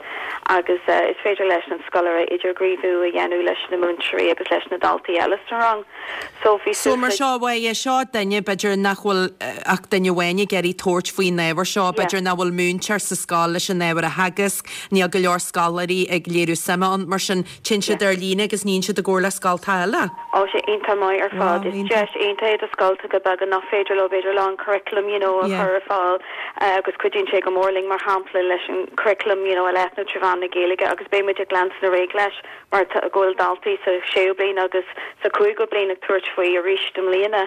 agus is féidir leis an scoláire idirghníomhú a dhéanamh leis na múinteoirí agus leis na daltaí eile sa rang. So bhí So mar seo, bhuel, é seo duine, b'fhéidir nach bhfuil ach duine amháin ag iarraidh tabhairt faoin ábhar seo, b'fhéidir nach bhfuil múinteoir sa scoil leis an ábhar a theagasc, níl go leor scoláirí ag léiriú suime ann, mar sin Téann siad ar líne agus níonn siad i gcomhar le scoltacha eile. Tá sé iontach maith ar fad. Is deis iontach é do scoltacha beaga nach féidir leo b'fhéidir lán curriculum you know a chur ar fáil agus cuidíonn sé go mór linn mar shampla leis an curriculum you know a leathnú trí mheán na Gaeilge agus beidh muid ag leanstan ar aghaidh leis mar tá go bhfuil daltaí sa séú bliain agus sa cúigiú bliain ag tabhairt faoi arís i mbliana.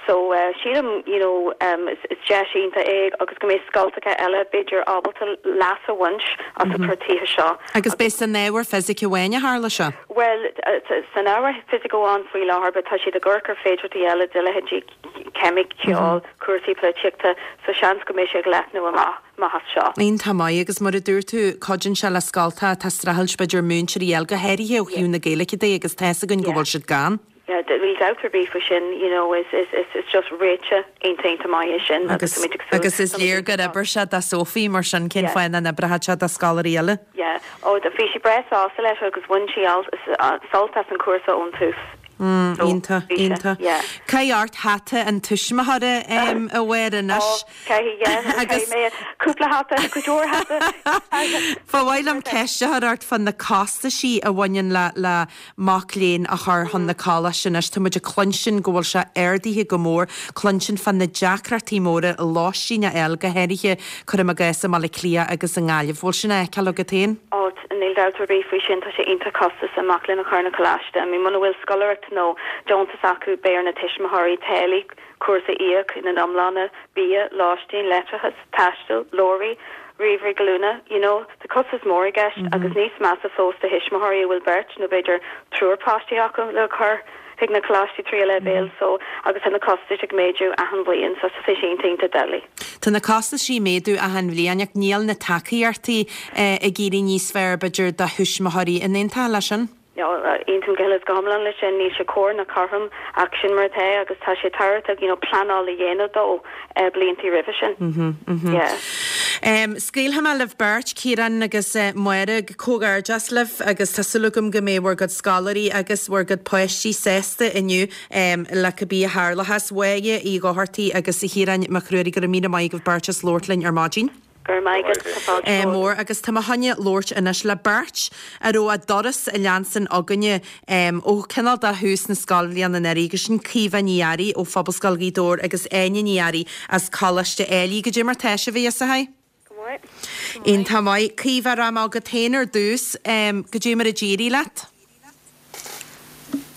So sílim you know is deis iontach é agus go mbeidh scoltacha eile b'fhéidir ábalta leas a bhaint as an cur chuige seo. Agus beidh san ábhar fisice amháin a tharla seo? Bhuel san ábhar fisice amháin faoi láthair but tá siad ag amharc ar féidearthachtaí eile de leithéidí ceimic, ceol, cúrsaí polaitíochta so seans go mbeidh sé ag leathnú amach amach as seo. Iontach maith agus mar a dúirt tú cuidíonn sé le scoltacha atá ag streachailt b'fhéidir múinteoirí a fháil go háirithe ó thaobh na Gaeilge de agus tá's againn go bhfuil siad gann. Yeah, níl dabht ar bith faoi sin, you know, is, is, is, is just réiteach iontach iontach maith é sin agus táimid ag súil, Agus is léir gur oibir sé do Sophie, mar sin cén fáth nach n-oibreoidh sé do scoláirí eile? Yeah, oh, bhí sí breá sásta leis agus bhain sí sult as an cúrsa ón tús. Mm, iontach, iontach. Yeah. Caith ort hata an tuismitheora, a Mháire anois. Oh, caithfidh, yeah, caithfidh mé cúpla hata, go leor hata. Ba mhaith liom ceist a chur ort fá na costaisí a bhaineann le, le mac léinn a chur chun na coláiste anois. Tá muid ag cluinstin go bhfuil sé ardaithe go mór, cluinstin fá na deacrachtaí móra lóistín a fháil, go háirithe, cuirim i gcás, i mBaile Átha Cliath agus i nGaillimh. Bhfuil sin á fheiceáil agat féin? Ó, níl dabht ar bith faoi sin, tá sé iontach costasach mac léinn a chur na coláiste. I mean, muna bhfuil scoláireacht nó deontas acu, beidh ar na tuismitheoirí táillí cúrsa a íoc ina n-iomláine, bia, lóistín, leictreachas, taisteal, leabhraí, ríomhairí glúine, you know. Tá costas mór i gceist agus níos measa fós do thuismitheoirí a bhfuil beirt nó b'fhéidir triúr páistí acu le cur chuig na coláistí tríú leibhéal so agus tá na costais ag méadú achan bhliain so tá sé iontach iontach doiligh. Tá na costaisí ag méadú achan bhliain ach níl na tacaíochtaí ag éirí níos fearr b'fhéidir do thuismitheoirí. An aontófá leis sin? Aontaím go huile is go hiomlán leis sin. Níl sé cóir ná cothrom ach sin mar atá agus tá sé tábhachtach you know pleanáil a dhéanamh dó bliantaí roimhe sin. Yeah. Scaoilfidh mé libh beirt, Ciarán agus Máire, comhghairdeas libh agus tá súil agam go mbeidh bhur gcuid scoláirí agus bhur gcuid páistí sásta inniu le cibé a tharlóchas. Máire Uí Dhochartaigh agus a Chiaráin Mhic Ruairí, go raibh míle maith agaibh beirt as labhairt linn ar maidin. Go raibh maith agat, tá fáilte romhat. mór agus tá mé chun labhairt anois le beirt a raibh a dturas ag leanstan againne ó cineál de thús na scoilbhliana anuraidh agus sin Caoimhe Ní Fhearraigh ó Phobalscoil Ghaoth Dobhair agus Áine Ní Fhearraigh as Coláiste Ailigh. Goidé mar tá sibh, a fhios Go maith. Iontach maith. Caoimhe, rachaidh mé chugat féin ar dtús. Goidé mar a d'éirigh leat?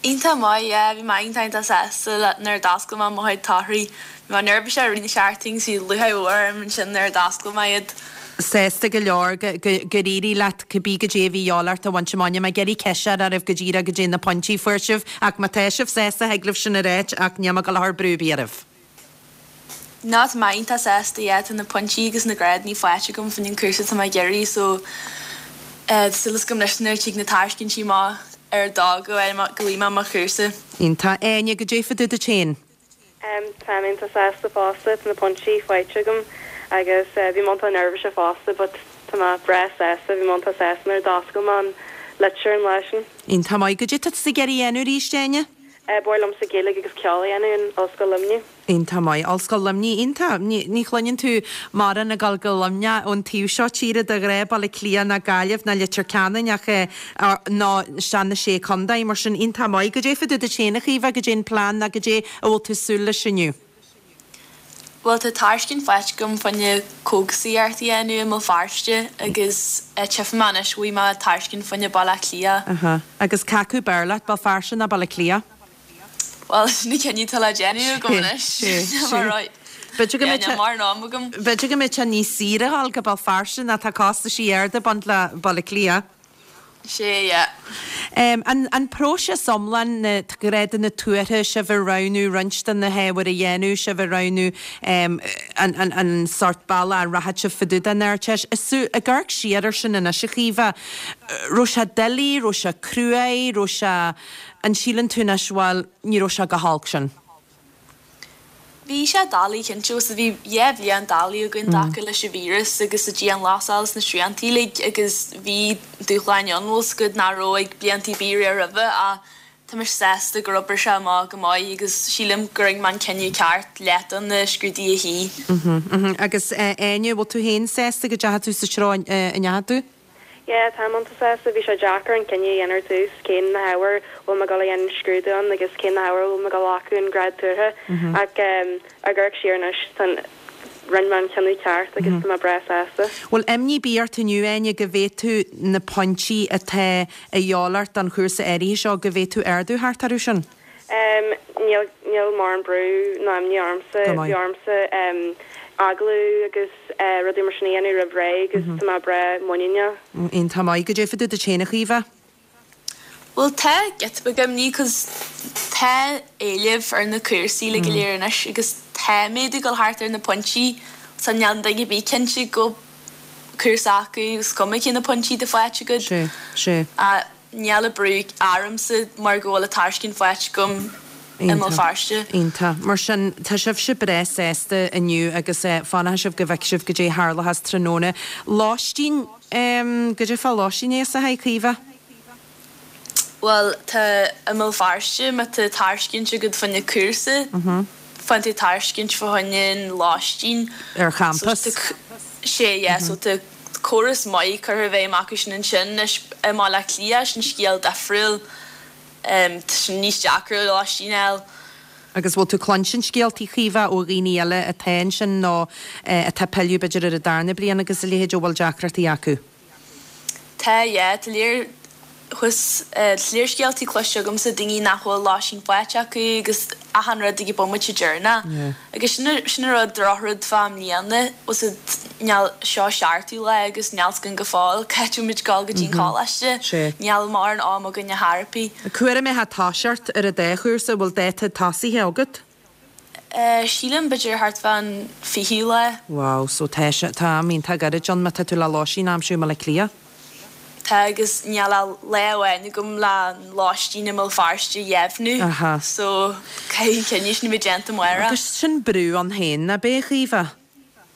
Iontach maith, yeah, bhí mé iontach iontach sásta le nuair a d'oscail mé mo chuid torthaí. Bhí mé neirbhíseach i rith na seachtaine agus bhí lúcháir mhór orm ansin nuair a d'oscail mé iad. Sásta go leor gur éirigh leat cibé goidé a bhí a dhíobháil ort a bhaint amach. Níl mé ag iarraidh ceist a chur oraibh go díreach goidé na pointí a fuair sibh ach má tá sibh sásta thig libh sin a ráit ach níl mé ag dul a chur brú ar bith oraibh. No tá mé iontach sásta yeah tá na pointí agus na grádanna faighte agam fá choinne an cúrsa atá mé ag iarraidh so tá súil agam anois nuair a tig na tairiscintí amach ar dóigh go bhfaighidh mé mo chúrsa. Iontach. Áine, goidé fá dtaobh duit féin? Tá mé iontach sásta fosta, tá na pointí faighte agam agus bhí mé iontach neirbhíseach fosta but tá mé breá sásta, bhí mé iontach sásta nuair a d'oscail mé an litir an lá sin. Iontach maith. Goidé tá tusa ag iarraidh a dhéanamh arís, Áine? Ba mhaith liomsa Gaeilge agus ceol a dhéanamh in Ollscoil Luimnigh. Iontach maith. Ollscoil Luimnigh, iontach. Ní chluineann tú mórán ag dul go Luimneach ón taobh seo tíre de ghnáth, Baile Átha Cliath ná Gaillimh ná Leitir Ceanainn ach nó isteach na Sé Contae, mar sin iontach maith. Goidé fá dtaobh duit féin a Chaoimhe, goidé an plean ná goidé a bhfuil tú ag súil leis inniu? Bhuel tá tairiscint faighte agam fá choinne cógasaíocht a dhéanamh i mBéal Feirste agus tchífidh mé anois bhfaighidh mé tairiscint fá choinne Baile Átha Cliath. Aha. Agus cé acu b'fhearr leat, Béal Feirste ná Baile Átha Cliath? Bhuel sin an cinneadh atá le déanamh agam anois. B'fhéidir go mbeadh sé, mórán am agam. B'fhéidir go mbeadh sé níos saoire a dhul go Béal Feirste ná tá costaisí arda ag baint le Baile Átha Cliath. Sea, yeah. An próiseas iomlán, na grádanna tuartha, sibh ag roghnú roinnt de na hábhair a dhéanamh, sibh ag roghnú an sórt bealach a rachaidh sibh fá dtaobh den Ardteist. Ag amharc siar air sin anois, a Chaoimhe, raibh sé doiligh, raibh sé cruaidh, raibh sé, an síleann tú anois, bhuel, ní raibh sé chomh holc sin? Bhí sé doiligh cinnte agus bhí 2 bhliain doiligh againn i dtaca leis an víreas agus an dianghlasáil is na srianta uilig agus bhí dúshláin ann bhfuil 's agat nach raibh ag blianta ar bith roimhe ach tá mise sásta gur oibrigh sé amach go maith agus sílim gur rinne mé an cinneadh ceart leat do na scrúduithe a shuí. Agus Áine, bhfuil tú féin sásta go dteachaigh tú sa treo a ndeachaigh tú? Yeah, táim iontach sásta. Bhí sé deacair an cinneadh a dhéanamh ar dtús, cén na hábhair a bhfuil mé ag dul a dhéanamh scrúdú ann agus cén na hábhair a bhfuil mé ag dul a ghlacadh an grád tuartha. Ach ag amharc siar anois, tá an, rinne mé an cinneadh ceart agus tá mé breá sásta. Bhfuil imní ar bith ort inniu, Áine, go bhféadfadh na pointí atá a dhíobháil ort don chúrsa áirithe seo, go bhféadfadh ardú theacht orthu sin? Níl, níl mórán brú ná imní ormsa. Go maith. Bhí ormsa agallamh agus rudaí mar sin a dhéanamh roimh ré agus tá mé breá muiníneach. Iontach maith. Goidé fá dtaobh duit féin, a Chaoimhe? Bhuel tá giota beag imní 'cause tá éileamh ar na cúrsaí uilig go léir anois agus tá méadú ag dul thart ar na pointí so níl duine ar bith cinnte go cúrsa acu is cuma cé na pointí atá faighte agat. Sea, sea. Níl an brú ormsa mar go bhfuil an tairiscint faighte agam i mBéal Feirste. Iontach. Mar sin, tá sibhse breá sásta inniu agus fanfaidh sibh go bhfeicfidh sibh goidé a tharlóchas tráthnóna. Lóistín, goidé fá lóistín aosaithe, Caoimhe? Bhuel, tá i mBéal Feirste, má tá tairiscint agat fá choinne cúrsa, faigheann tú tairiscint fá choinne an lóistín. Ar champas? Sea, yeah, so tá. córas maith curtha i bhfeidhm acu sin ansin. Anois i mBaile Átha Cliath, sin scéal difriúil. Tá sin níos deacra lóistín a fháil. Agus bhfuil tú cluinstin scéaltaí, Caoimhe, ó dhaoine eile atá ansin nó atá ag pilleadh b'fhéidir ar an darna bliain agus a leithéid, a bhfuil deacrachtaí acu? Tá, yeah. Tá léar thuas, tá léar scéaltaí cloiste agamsa, daoine nach bhfuil lóistín faighte acu agus achan rud ag an bomaite deireanach. Agus sin sin an rud, drochrud fá i mbliana, bhfuil 's agat, níl, seo seachtú lá agus níl 's againn go fóill cá háit a bhfuil muid ag dul go dtí an coláiste, níl mórán am againn ar chor ar bith. Cá huair a mbeifeá ag toiseacht ar an dá chúrsa, bhfuil dáta tosaithe agat? Sílim b'fhéidir thart fán 20ú lá. Wow, so tá sé, tá am iontach gairid ann má tá tú le lóistín a aimsiú i mBaile Átha Cliath. Tá agus níl ach lá amháin agam le an lóistín i mBéal Feirste a dheimhniú Aha. so caithfidh an cinneadh sin a bheith déanta amárach. Agus sin brú ann féin, nach b'é, a Chaoimhe?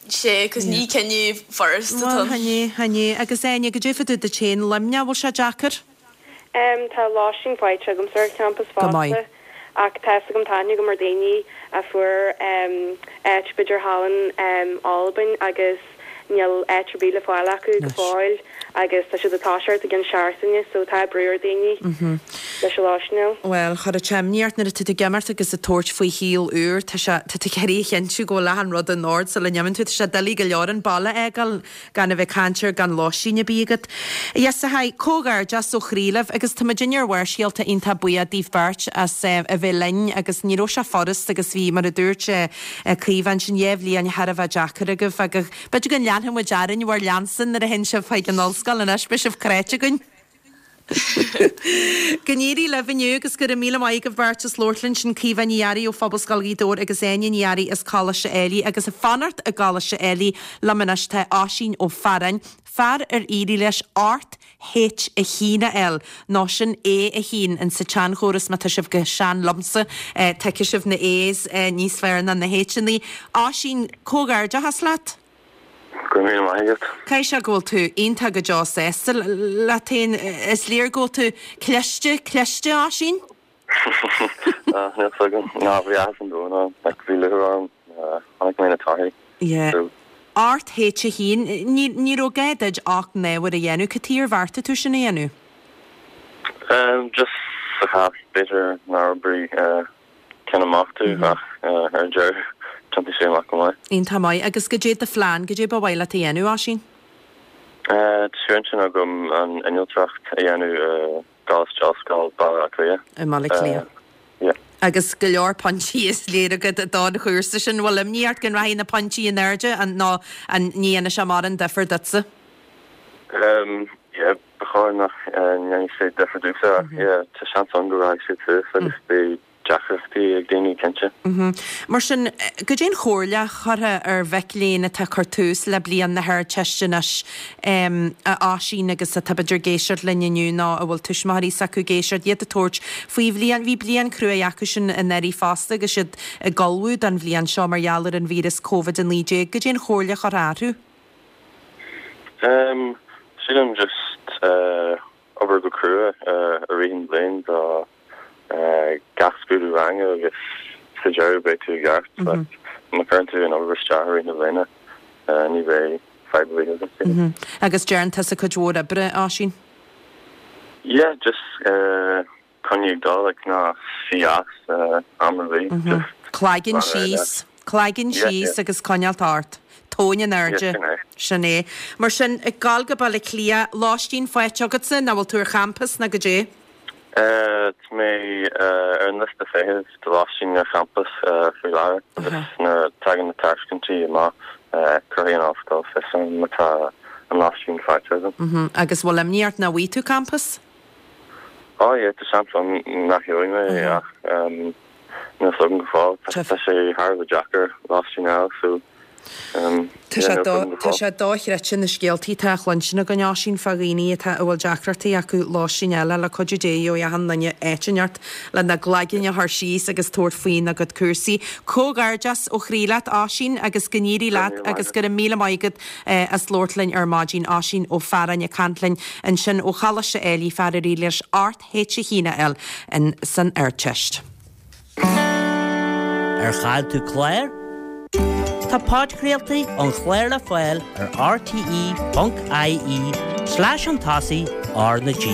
Sea, 'cause ní cinneadh furasta Bhuel, atá ann. chan é, chan é. Agus Áine, goidé fá dtaobh duit féin, Luimneach, bhfuil sé deacair? Em, tá lóistín faighte agamsa ar champas Go maith. fosta ach tá 'fhios agam, tá aithne agam ar daoine a fuair, em, áit b'fhéidir thall in, em, Albain agus níl áit ar bith le fáil acu go Anois. fóill agus tá siad ag toiseacht i gcionn seachtaine so tá brú ar daoine. Mhm. Leis an lóistín a fháil. Bhuel, chuirfeadh sé imní ort nuair atá tú ag imeacht agus ag tabhairt faoi shaol úr, tá sé, tá tú ag iarraidh a chinntiú go bhfuil achan rud in ord sula n-imíonn tú. Tá sé doiligh go leor an baile a fhágáil gan a bheith ag caint ar gan lóistín ar bith agat. Yes, a Thaidhg, comhghairdeas ó chroí libh agus tá muidinne ar Bharrscéalta iontach buíoch daoibh beirt as a bheith linn agus ní raibh sé furast agus bhí, mar a dúirt Caoimhe ansin, 2 bhliain thar a bheith deacair agaibh agus b'fhéidir go leanfaidh muid orainn bhur leanstan nuair a théann sibh chuig an ollscoil anois, beidh sibh cráite againn. Go n-éirí libh inniu agus go raibh míle maith agaibh beirt as labhairt linn. Sin Caoimhe Ní Fhearraigh ó Phobalscoil Ghaoth Dobhair agus Áine Ní Fhearraigh as Coláiste Ailigh. Agus ag fanacht i gColáiste Ailigh liom anois tá Oisín Ó Fearáin, fear ar éirigh leis 8 H1 a fháil, nó sin A1 in sa tseanchóras má tá sibh chomh sean liomsa, tuigfidh sibh na A's níos fearr ná na H-annaí. Oisín, comhghairdeachas leat! Go raibh míle maith agat. Caithfidh sé go bhfuil tú iontach go deo sásta leat féin. Is léir go bhfuil tú cliste, cliste, Oisín? Níl fhios agam. Ná, bhí áthas an domhain orm. Like, bhí lúcháir orm. Chonaic mé na torthaí. Yeah. So. 8 H1, ní, ní raibh gá duit 8 n-ábhar a dhéanamh. Cad chuige ar bheartaigh tú sin a dhéanamh? Um, just sa chás, b'fhéidir nár oibrigh, eh, ceann amach domh ach ar an deireadh thiontaigh sé amach go maith. Iontach maith. Agus goidé do phlean, goidé ba mhaith leat a dhéanamh, Oisín? Tá sé ar intinn agam an innealtóireacht a dhéanamh i gColáiste Ollscoile Baile Átha Cliath. I mBaile Átha Cliath. Yeah. Agus go leor pointí is léir agat don chúrsa sin. Bhfuil imní ort go rachaidh na pointí in airde nó an ní dhéanfaidh sé mórán difear duitse? Yeah, ba chóir nach ndéanfaidh sé difear domhsa ach yeah, tá seans ann go rachaidh sé suas agus beidh deacrachtaí ag daoine, cinnte. Mar sin, goidé an chomhairle a chuirfeá ar mhic léinn atá ag cur tús le bliain na hArdteiste anois, a Oisín, agus atá b'fhéidir ag éisteacht linn inniu nó a bhfuil tuismitheoirí s'acu ag éisteacht, iad ag tabhairt faoi bhliain, bhí bliain cruaidh acusan anuraidh fosta agus iad ag ullmhú don bhliain seo mar gheall ar an víreas Covid-19. Goidé an chomhairle a chuirfeá orthu? Sílim just obair go crua i rith an bhliain do gach scrúdú ranga agus sa deireadh beidh tú i gceart. Like má chuireann tú an obair isteach i rith na bliana ní bheidh fadhb ar bith agat, sílim. Agus déanann tusa cuid mhór oibre, Oisín? Yeah, just Coinnigh ag dul, like, ná suigh as am ar bith, just Cloigeann síos, cloigeann síos agus coinneáilt ort. Tóin in airde. Sin é. Mar sin, ag gabháil go Baile Átha Cliath, lóistín faighte agatsa, nó bhfuil tú ar champas nó goidé? Tá mé ar an liosta feithimh do lóistín ar champas faoi láthair agus nuair a tagann na tairiscintí amach, cuirfidh an ollscoil fios orm má tá an lóistín faighte agam. Agus bhfuil imní ort nach bhfaighidh tú campas? Oh yeah, tá seans ann nach gheobhaidh mé ach níl fhios agam go fóill. Tá sé thar a bheith deacair lóistín a fháil so Tá sé tá sé dochreidte na scéaltaí atá á chluinstin againn Oisín fá dhaoine atá a bhfuil deacrachtaí acu lóistín a fháil. Le cuidiú Dé gheobhaidh achan duine áit inteacht lena gcloigeann a chur síos agus tabhairt faoina gcuid cúrsaí. Comhghairdeas ó chroí leat Oisín agus go n-éirí leat agus go raibh míle maith agat as labhairt linn ar maidin, Oisín Ó Fearáin ag caint linn ansin ó Choláiste Ailigh, fear ar éirigh leis 8 H1 a fháil in san Ardteist. Ar chaill tú clár? Tá podchraoltaí an chláir le fáil ar rte.ie slash chun tosaigh R na G.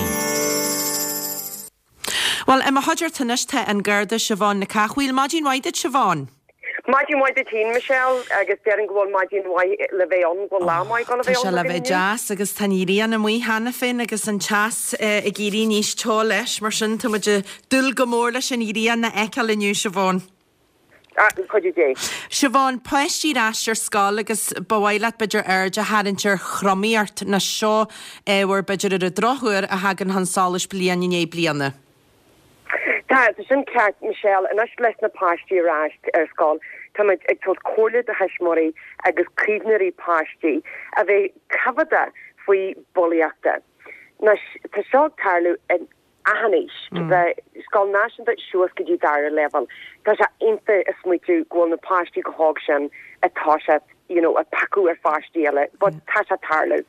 Bhuel, i mo chuideachta anois tá an Garda Siobhán Nic Cathmhaoil. Maidin mhaith duit, Siobhán. Maidin mhaith duit féin, Michelle, agus déarfainn go bhfuil maidin mhaith le bheith ann, go bhfuil lá maith le bheith ann. Tá sé le bheith deas agus tá an ghrian amuigh cheana féin agus an teas ag éirí níos teo leis, mar sin tá muid ag dúil go mór leis an ghrian a fheiceáil inniu, Siobhán. Le cuidiú Dé. Siobhán, páistí ar ais ar scoil agus ba mhaith leat b'fhéidir aird a tharraingt ar thromaíocht, nó seo ábhar b'fhéidir ar an drochuair a thagann chun solais bliain i ndiaidh bliana. Tá, tá sin ceart, Michelle. Anois leis na páistí ar ais ar scoil, táimid ag tabhairt comhairle do thuismitheoirí agus caomhnóirí páistí a bheith coimheadach faoi bulaíochta. Anois, tá seo ag tarlú in achan aois, scoil náisiúnta suas go dtí dara leibhéal. Tá sé iontach a smaoitiú go bhfuil na páistí chomh hóg sin ag toiseacht you know, ag piocadh ar pháistí eile, but tá sé ag tarlú.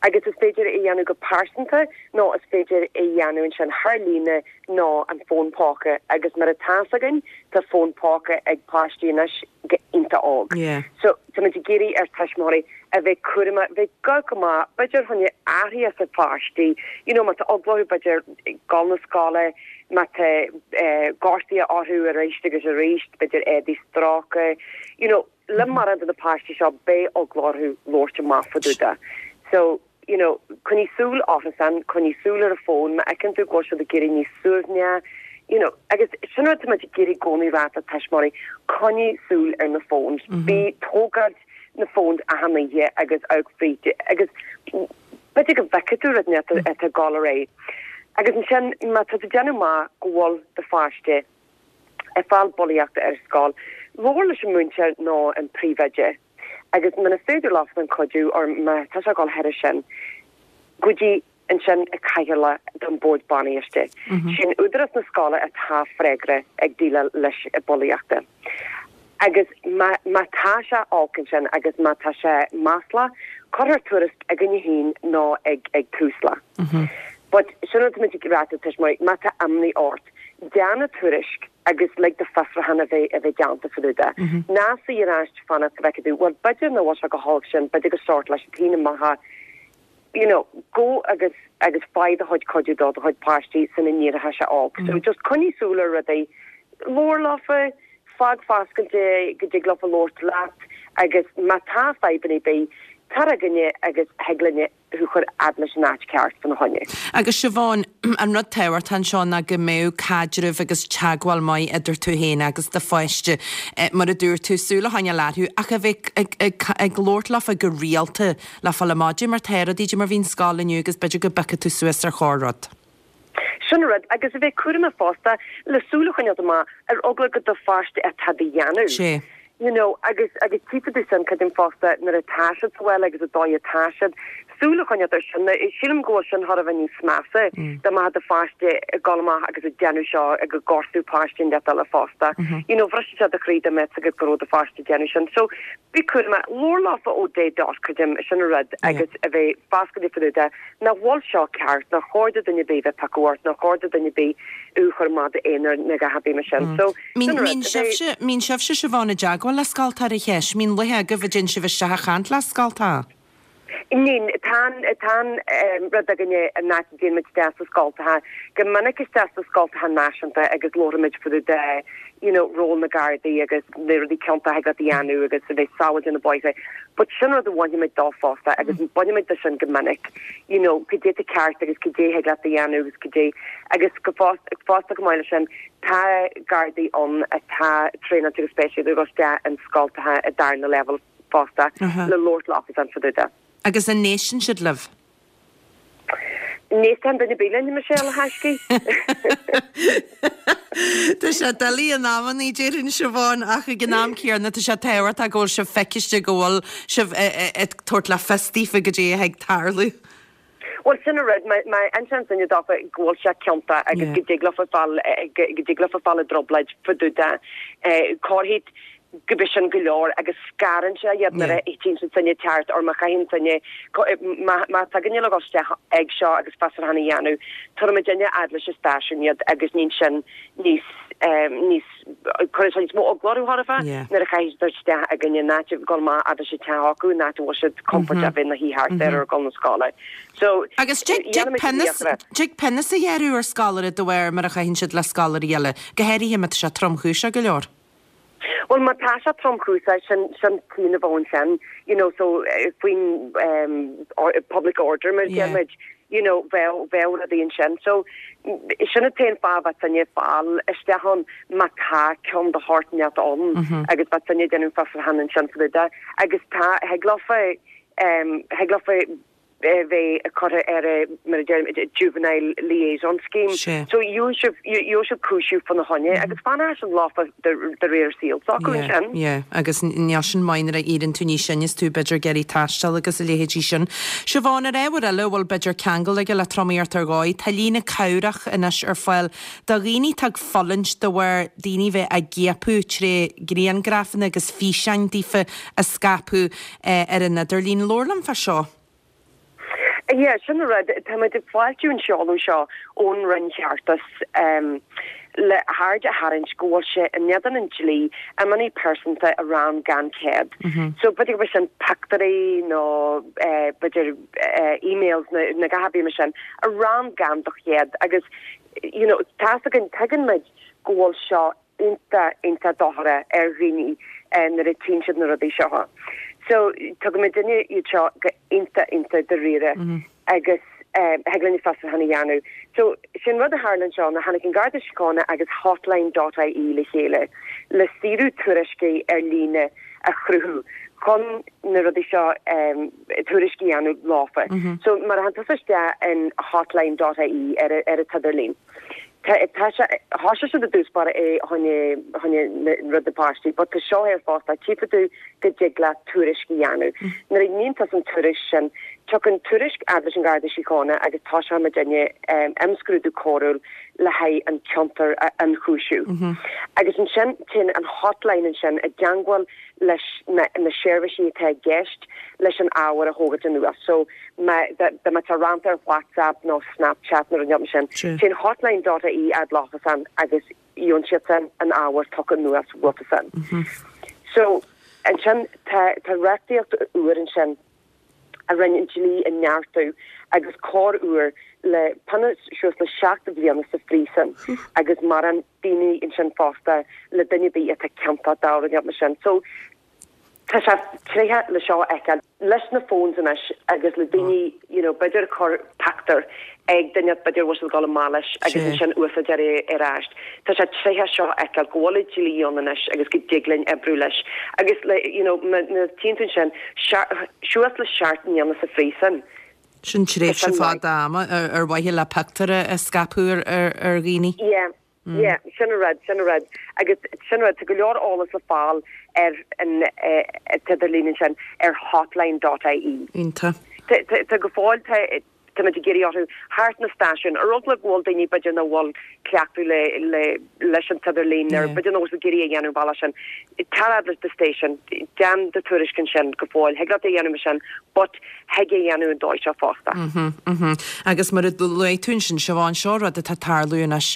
Agus is féidir é a dhéanamh go pearsanta nó is féidir é a dhéanamh ansin thar líne nó an fón póca agus mar atá fhios againn tá fón póca ag páistí anois go iontach óg. So táimid ag iarraidh ar tuismitheoirí a bheith cúramach, bheith go go maith, b'fhéidir fá choinne athruithe sa pháistí, you know, má tá eagla orthu b'fhéidir dul na scoile. má tá gortuithe orthu arís agus arís, b'fhéidir éadaí stróicthe, you know, le mórán de na páistí seo beidh eagla orthu labhairt amach fá dtaobh de. So, you know, coinnigh súil orthusan, coinnigh súil ar an bhfón, má fheiceann tú go bhfuil siad ag éirí níos suaimhne, you know, agus sin rud táimid ag iarraidh i gcónaí rá le tuismitheoirí, coinnigh súil ar na phones, bí ag tógáilt na phones achan oíche agus amharc fríd agus b'fhéidir go bhfeicfidh tú rud inteacht atá ag dul ar aghaidh. Agus ansin, má tá tú ag déanamh amach go bhfuil do pháiste ag fáil bulaíochta ar scoil, labhair leis an múinteoir nó an príomhoide agus muna féidir leosan cuidiú or má tá sé ag dul thairis sin, go dtí ansin an cathaoirleach don bord bainiste. Sin údarás na scoile atá freagrach ag déileáil leis an bulaíochta. Agus má má tá sé olc ansin agus má tá sé maslach, cuirfear tuairisc againne féin nó ag ag Tusla. But sin rud táimid ag rá do tuismitheoirí, má tá imní ort, déan an tuairisc agus lig do fiosrúchán a bheith a bheith déanta fá dtaobh de. Ná suigh ar ais fanacht go bhfeicfidh tú, bhuel b'fhéidir nach bhfuil sé go holc sin, b'fhéidir gur sórt leis an taoine maithe, you know, go agus agus faigh do chuid cuidiú do do chuid páistí sula n-éireoidh sé olc. So just coinnigh súil ar rudaí, labhair leofa, fág foscailte go dtig leofa labhairt leat agus má tá fadhbanna ar bith, tar chugainne agus thig linne thú chur fhad leis an áit ceart fána choinne. Agus Siobhán, an rud tábhachtach anseo ná go mbeadh caidreamh agus teagmháil maith idir tú féin agus do pháiste. Mar a dúirt tú, súil a choinneáil orthu ach a bheith ag labhairt leofa go rialta le fáil amach caidé mar tá rudaí, caidé mar bhí an scoil inniu agus b'fhéidir go bpiocfaidh tú suas ar chorr-rud. Sin an rud, agus a bheith cúramach fosta le súil a choinneáilt amach ar eagla gur do pháiste atá á dhéanamh. Sea. You know, agus, agus tchífidh tú sin, creidim fosta, nuair atá siad sa bhaile agus an dóigh atá siad, súil a choinneáilt ar sin. Sílim go bhfuil sin chóir a bheith níos measa dá mbeadh do pháiste ag dul amach agus ag déanamh seo ag gortú páiste inteacht eile fosta. You know, bhrisfeadh sé do chroí dá mbeadh fhios agat go raibh do pháiste ag déanamh sin. So, Bí cúramach, labhair leofa ó dé dot, creidim, sin an rud, agus a bheith foscailte fá dtaobh de, nach bhfuil seo ceart, nár chóir do duine ar bith a bheith ag piocadh ort, nár chóir do duine ar bith thú a chur amach d'aonar nó a dhath ar bith mar sin. So, sin an rud, Mbíonn sibhse, mbíonn sibhse Siobhán i dteagmháil le scoltacha ar an cheist, mbíonn laethe agaibh a dtéann sibh isteach a chaint le scoltacha? Níl. Tá an, tá an rud againne an áit a dtéann muid isteach sna scoltacha, go minic isteach sna scoltacha náisiúnta agus labhraímid fá dtaobh de you know ról na Gardaí agus na rudaí ciontacha a dhéanamh agus a bheith sábháilte ar na bóithre. But sin rud a bhainimid dó fosta agus bainimid de sin go minic, you know cad é atá ceart agus cad é thig leat a dhéanamh agus cad é agus go fosta, fosta chomh maith leis sin tá Gardaí ann atá traenáilte agus speisialta ag dul isteach in scoltacha i darna leibhéal. fosta le labhairt leofasan fá dtaobh de. Agus an n-éisteann siad libh? Ní éisteann duine ar bith linn, Michelle, a thaiscidh. Tá sé doiligh in amannaí, déarfainn, Siobhán, ach ag an am céanna tá sé tábhachtach go bhfuil sibh feiciste, go bhfuil sibh ag tabhairt le fios daofa goidé atá ag tarlú. Bhuel, sin an rud, má insíonn duine dófa go bhfuil sé ciontach agus go dtig leofa fáil, go dtig leofa fáil i dtrioblóid fá dtaobh de, corrthaí go b'é sin go leor agus scarann sé iad nuair a tchíonn siad sinne ag teacht or má chaitheann sinne, má má tá duine le dhul isteach ag seo agus fiosrúchán a dhéanamh, tabharfaidh muidinne fhad leis an stáisiún iad agus níonn sin níos, níos, cuireann sé níos mó eagla orthu chóir a bheith nuair a chaithfidh siad isteach againne in áit a dhul amach fhad leis an teach acu in áit a bhfuil siad compordach a bheith ina shuí thart ar ar dhul na scoile. So, Agus dtig pionós a ghearradh ar scoláire de bharr mar a chaitheann siad le scoláirí eile, go háirithe má tá sé tromchúiseach go leor. Bhuel, má tá sé tromchúiseach, sin, sin cion a bheadh ansin, you know, so faoin public order mar a deir muid, you know, bheadh, bheadh rudaí ansin. So, sin an t-aon fáth a bheadh duine ag fáil isteach ann má tá cion de shórt inteacht ann agus bheadh duine ag déanamh fiosrúchán ansin fá dtaobh de. Agus tá, thig leofa, thig leofa bheith curtha ar a, mar a deirim, juvenile liaison scheme. So gheobhaidh sibh, gheobhaidh sibh cúiseamh fána choinne agus fanfaidh sin leofa de réir saoil s'acu ansin. Yeah, agus níl sin maith nuair a éiríonn tú níos sine is tú b'fhéidir ag iarraidh taisteal agus a leithéidí sin. Siobhán, ar ábhar eile a bhfuil b'fhéidir ceangal aige le tromaíocht ar dhóigh, tá líne cabhrach anois ar fáil do dhaoine atá ag fulaingt de bharr daoine bheith á gciapadh tré griangrafanna agus físeáin daofa a scaipeadh ar an idirlíon. Labhair liom fá seo. Yeah, sin an rud. Tá muid ag fáiltiú an seoladh seo ón Roinn Cheartais. le haird a tharraingt go bhfuil sé in éadan an dlí iománaí pearsanta a rann gan cead. So b'fhéidir go bhfuil sin pictiúirí nó b'fhéidir emails nó a dhath ar bith mar sin a rann gan do chead agus you know tá's againn tuigeann muid go bhfuil seo iontach iontach dochrach ar dhaoine nuair a tchíonn siad na rudaí seo. So tugann muidinne iad seo go iontach iontach dáiríre agus thig linn fiosrúchán a dhéanamh. So sin rud a tharla anseo ná tháinig an Garda Síochána agus Hotline dot ie le chéile le saoradh tuairiscí ar líne a chruthú chun na rudaí seo tuairiscí a dhéanamh leofa. So mar a théann tusa isteach in hotline dot ie ar ar an t-idirlíon Tá tá sé thoisigh siad i dtús báire é choinne choinne rud na páistí but tá seo ar fosta tchífidh tú go dtig leat tuairisc a dhéanamh. Nuair a níonn tusa an tuairisc sin tiocfaidh an tuairisc fhad leis an Gharda Síochána agus toiseoidh muidinne imscrúdú coiriúil le haghaidh an ciontar a ionchúiseamh. Agus ansin téann an hotline ansin i dteangmháil leis na na seirbhísí atá i gceist leis an ábhar a thógaint anuas. So má dá dá mbeadh sé rannta ar WhatsApp nó Snapchat nó rud mar sin, téann hotline dot ie fhad leofasan agus gheobhann siadsan an ábhar tugtha anuas uafasan. So ansin tá tá reachtaíocht úr ansin a rinne an dlí a neartú agus cor úr le pionós suas le 7 bhliana sa phríosún agus mórán daoine ansin fosta le duine ar bith atá ciontach dá rud mar sin. So tá sé tréithe le seo a fheiceáil leis na phones anois agus le daoine you know b'fhéidir ag cur pictiúr ag duine b'fhéidir bhfuil siad ag dul amach leis agus ansin úsáid é ar ais. Tá sé tréithe seo a fheiceáil go bhfuil an dlí ann anois agus go dtig linn oibriú leis agus le you know má tchíonn tú ansin suas le 7 mbliana sa phríosún. Sin tréimhse fada ama ar mhaithe le pictiúr a scaipeadh ar dhaoine. Yeah, yeah, sin an rud, sin an rud. Agus sin an rud, tá go leor eolas le fáil ar an t-idirlíon ansin ar hotline dot ie. Iontach. Tá go fóill, tá táimid ag iarraidh orthu thart na stáisiúin, ar eagla go bhfuil daoine b'fhéidir nach bhfuil cleachtadh le le leis an t-idirlíon nó b'fhéidir nach bhfuil siad ag iarraidh a dhéanamh an bealach sin. Tar fhad leis do station, déan do tuairisc ansin go fóill, thig leat é a dhéanamh mar sin but thig é a dhéanamh an dóigh seo fosta. Agus mar a luaigh tú ansin, Siobhán, seo rud atá ag tarlú anois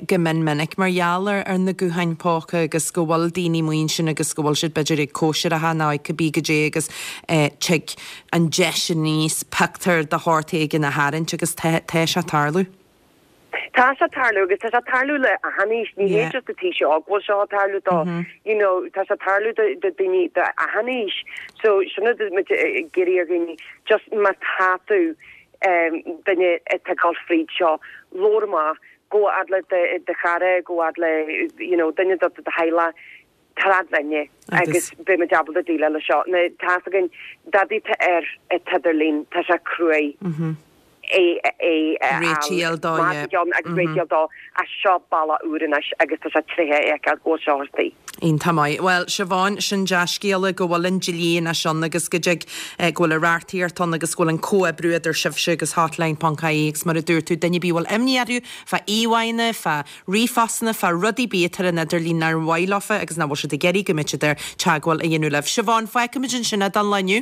go mion minic mar gheall ar na gutháin póca agus go bhfuil daoine amuigh ansin agus go bhfuil siad b'fhéidir ag cóisireacha nó ag cibé goidé agus tig an deis aníos pictiúr de shórt éigin a tharraingt agus tá sé ag tarlú. Tá sé ag tarlú agus tá sé ag tarlú le achan aois, ní hé just an t-aois óg bhfuil seo ag tarlú dó, you know, tá sé ag tarlú do do daoine de achan aois. So sin rud muid ag iarraidh ar dhaoine, just má tá tú duine atá ag dul fríd seo, labhair amach, gabh fhad le do chara, gabh fhad le you know duine de do theaghlach, tar fhad linne agus beidh muid ábalta déileáil leis seo. Now tá's againn, dadaí atá ar an t-idirlíon, tá sé cruaidh é é a fháil dó, yeah. agus réiteach dó, ach seo bealach úr anois agus tá sé tréithe a fheiceáil go bhfuil seo ar tí. Iontach maith. Bhuel, Siobhán, sin dea-scéala go bhfuil an dlí anois ann agus go dtig, go bhfuil an reachtaíocht ann agus go bhfuil an comhoibriú idir sibhse agus Hotline ponc ie agus mar a dúirt tú, duine ar bith a bhfuil imní orthu fá íomhánna, fá ríomhphostanna fá rudaí ar bith atá ar an idirlíon nár mhaith leofa agus nach bhfuil siad ag iarraidh go mbeadh siad air teagmháil a dhéanamh libh. Siobhán, fágfaimid ansin é don lá inniu.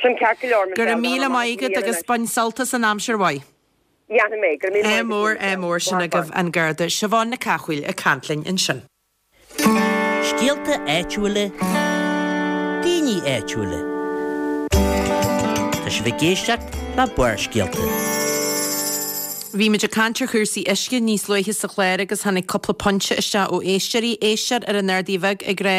Sin ceart go leor, Go raibh míle maith agat agus bain sult as an aimsir mhaith. Dhéanfaidh mé. Go raibh míle maith agat. Ádh mór, ádh mór, sin agaibh an Garda Siobhán Nic Cathmhaoil ag caint linn ansin. Scéalta áitiúla, daoine áitiúla. Tá sibh ag éisteacht le Barrscéalta. Bhí muid ag caint ar chúrsaí uisce níos luaithe sa chlár agus tháinig cúpla pointe isteach ó éisteoirí. Éisteoir ar an Ardaidh Bheag ag rá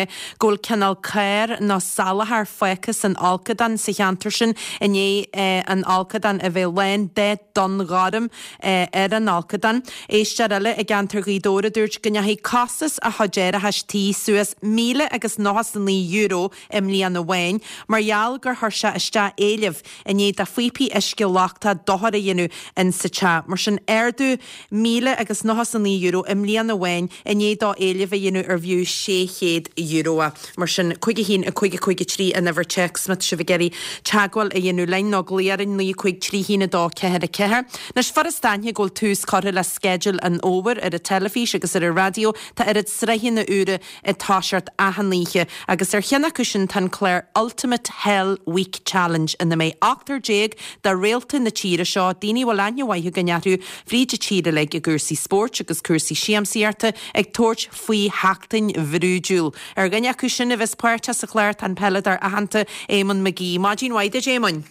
go bhfuil cineál carr nó salachar fágtha san fholcadán sa cheantar sin i ndiaidh an fholcadán a bheith lán de donn ghorm ar an fholcadán. Éisteoir eile i gceantar Ghaoth Dobhair a dúirt go ndeachaigh costas a chuid árachais tí suas míle agus €99 i mbliain amháin mar gheall gur chuir sé isteach éileamh i ndiaidh do phíopaí uisce lochtacha dochar a dhéanamh in sa teach. Mar sin ardú míle agus €99 i mbliain amháin i ndiaidh dó éileamh a dhéanamh ar bhfiú €600. Mar sin, 5 1 5 5 3 an uimhir téacs má tá sibh ag iarraidh teagmháil a dhéanamh linn nó glaoch orainn 9 5 3 1 2 4 4. Anois, furast aithne go bhfuil tús curtha le sceideal an fhómhair ar an teilifís agus ar an raidió. Tá oiread sraitheanna úra ag toiseacht achan oíche agus ar cheann acu sin tá an clár Ultimate Hell Week Challenge ina mbeidh ochtar de réalta na tíre seo, daoine a bhfuil aithne mhaith againn orthu. acu fríd an tír uilig i gcúrsaí spóirt agus cúrsaí siamsaíochta ag tabhairt faoi sheachtain bhrúidiúil. Ar dhuine acu sin a bheas páirteach sa chlár tá an peileadóir aitheanta Éamonn McGee. Maidin mhaith duit Éamoinn.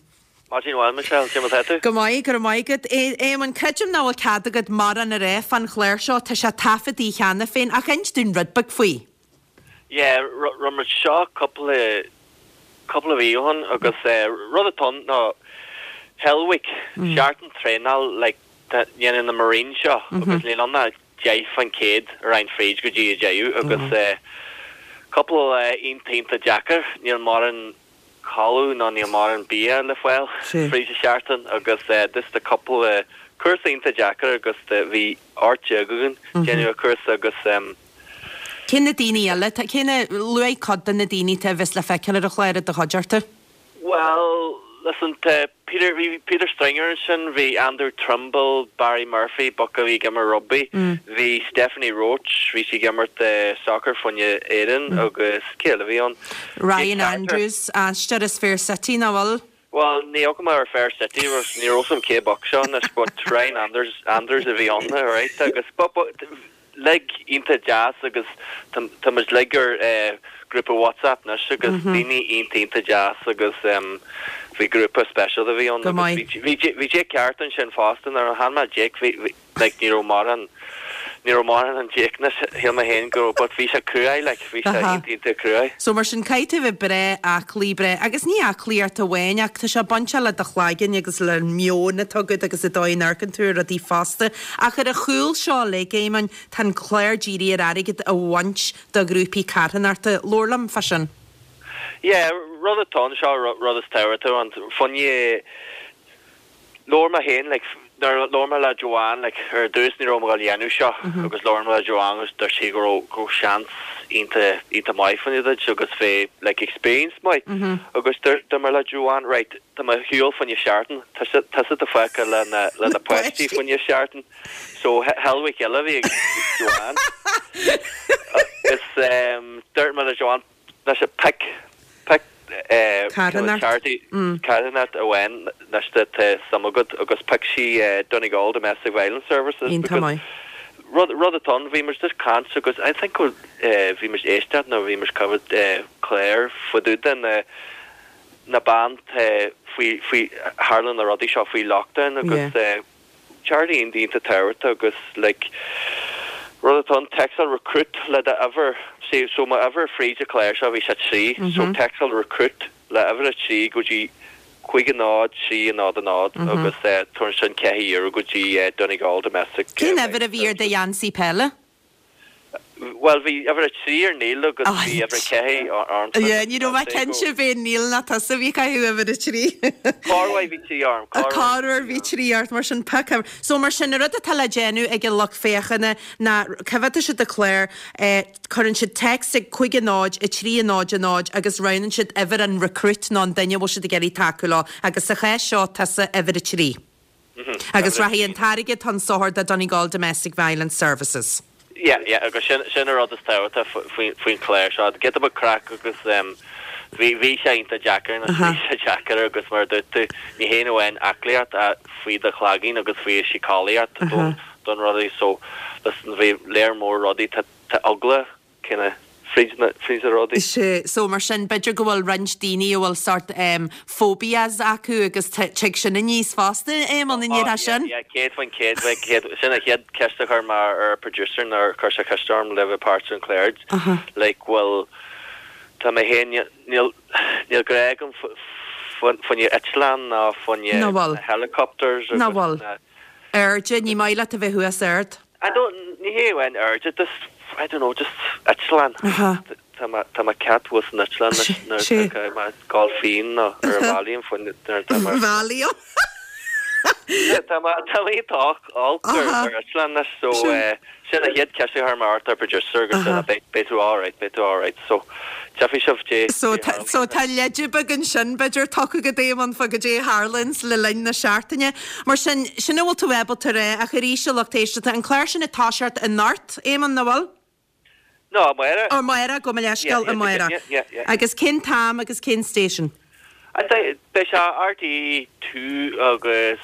Maidin mhaith Michelle, cé mar atá tú? Go maith, go raibh maith agat. Éamonn, creidim nach bhfuil cead agat mórán a rá fán chlár seo, tá sé taifeadtaí cheana féin, ach inis dúinn rud beag faoi. Yeah, rinne muid seo cúpla, cúpla mhí ó shin agus rud atá ann ná Hell Week, seachtain traenáil like dhéanann na Marines seo agus níl ann ach 10% a raghann fríd go dtí an deireadh agus cúpla lá iontach iontach deacair, níl mórán codladh ná níl mórán bia le fáil fríd an seachtain agus just tá cúpla cúrsa iontach deacair agus bhí 18 againn déanamh an cúrsa agus Cé na daoine eile? Cé na, luaigh cuid de na daoine atá a bheas le feiceáil ar an chlár i do chuideachta. Bhuel, listen, tá Peter, bhí Peter Stringer ansin, bhí Andrew Trimble, Barry Murphy, boc a bhí ag imirt rugbaí, bhí Stephanie Roche, bhí sí ag imirt soccer fá choinne Éireann agus cé eile a bhí ann? Ryan Andrews, aisteoir as Fair City, nach bhfuil? Bhuel, ní fhaca mé ar Fair City, ní raibh 'fhios a'm cé boc seo anois, but Ryan Andrews, Andrews a bhí ann, alright, agus but, but, like iontach deas agus tá, tá muid like ar eh grúpa WhatsApp anois agus daoine iontach iontach deas agus em bhí grúpa speisialta a bhí ann Go agus maith. bhí, bhí, bhí Jake Carter ansin fosta, nuair a chonaic mé Jake bhí, bhí, like ní raibh mórán, ní raibh mórán an Jake anois, shíl mé féin go raibh, but bhí sé cruaidh like, bhí sé Aha. iontach iontach cruaidh. So mar sin caithfidh tú a bheith breá aclaí, breá, agus ní aclaíocht amháin ach tá sé bainteach le do chlaigeann agus le meon atá agat agus an dóigh a n-amharcann tú ar rudaí fosta. Ach ar a chúl seo uilig, Éamonn, tá an clár dírithe ar airgead a bhaint do ghrúpaí carthanachta. Labhair liom fá sin. Yeah, rud atá ann, seo rud is tábhachtaí ann, fá choinne, Labhair mé féin, like, nuair a labhair mé le Joanne, like, ar dtús ní raibh mé ag dul a dhéanamh seo agus labhair mé le Joanne agus dúirt sí go raibh, go raibh seans iontach, iontach maith fá choinne duit agus bheith, like, experience maith. Agus dúirt, dúirt mé le Joanne, right, tá mé ar shiúl fá choinne seachtain, tusa, tusa atá fágtha le na, le na páistí fá choinne seachtain. So, Hell Week eile a bhí ag Joanne. Agus, em, dúirt mé le Joanne, Anois pick, pick Carthanacht. charity carthanacht amháin anois tá suim agat agus phioc sí Donegal Domestic Violence Services Iontach because maith. rud rud atá ann bhí muid just caint agus I think go bhí muid éisteacht nó bhí muid coimhéad clár fá dtaobh de na na ban faoi faoi tharla na rudaí seo faoi lockdown agus Yeah. Charity iontach tábhachtach agus like rud atá ann téacsáil recruit le do uimhir see so mo uimhir fríd an clár seo bhí sé 3 so téacsáil recruit le uimhir 3 go dtí 5 0 3 0 0 agus tabhair ansin 4 euro go dtí Donegal Domestic Cén uimhir a bhí ar do gheansaí peile? Bhuel, bhí uimhir 3 ar Neil agus bhí uimhir 4 ormsa. Yeah, ní raibh mé cinnte ab é Neil nó tusa a bhí ag caitheamh uimhir 3. Corruair bhí 3 orm, corruair. Corruair bhí 3 ort, mar sin pioc uimhir. So mar sin, an rud atá le déanamh ag an lucht féachana ná coimhéadfaidh siad an clár, cuireann siad text ag 5 0 3 0 0 agus roghnaíonn siad uimhir an recruit nó an duine a bhfuil siad ag iarraidh tacú leo agus sa chás seo tusa uimhir 3. Agus rachaidh an t-airgead chun sochair do Donegal Domestic Violence Services. Yeah, yeah, agus sin, sin an rud is tábhachtaí faoin, faoin chlár seo. Giota beag craic agus em bhí, bhí sé iontach deacair, nó bhí sé deacair agus mar a dúirt tú, ní haon amháin aclaíocht ach faoi do chloigeann agus faoi síceolaíocht don, don rudaí. So, listen, bhí léar mór rudaí, tá, tá eagla kinda fríd na, fríd na rudaí. Sea, so mar sin, b'fhéidir go bhfuil roinnt daoine a bhfuil sort em phobias acu agus tig sin aníos fosta, Éamonn, an ndéarfá sin? Yeah, 100%, bheadh céad, sin an chéad ceist a chuir mé ar producer nuair a chuir sé ceist orm le bheith páirt den chlár, like bhuel, tá mé féin, níl, níl grá agam fá choinne eitleán ná fá choinne Ná bhfuil. na helicopters Ná agus bhfuil. na. Airde, ní maith leat a bheith thuas ard. I don't, ní hé amháin airde, just, I don't know, just eitleán. Aha. Tá mé, tá mé ceart thuas san eitleán anois nuair Sé. atá mé ag gabháil finn nó ar an Valium faoin nuair atá mé. Valium. Tá mé, tá mé iontach olc ar Aha. ar eitleán anois so Sin. eh, sin an chéad ceist a chuir mé ort ar producer agus Aha. beidh, beidh tú alright, beidh tú alright so Tífidh sibh dé So tá, so tá leide beag ansin, b'fhéidir, tugtha agat Éamonn fá goidé a tharlaíonns le linn na seachtaine. Mar sin, sin a bhfuil tú ábalta a rá, ach arís, a lucht éisteachta, an clár sin ag toiseacht anocht, Éamonn, nach bhfuil? No, amárach. Ó, amárach, gabh mo leithscéal, amárach. Yeah, yeah, yeah. Agus cén t-am agus cén station? I think, beidh sé RTÉ 2 agus.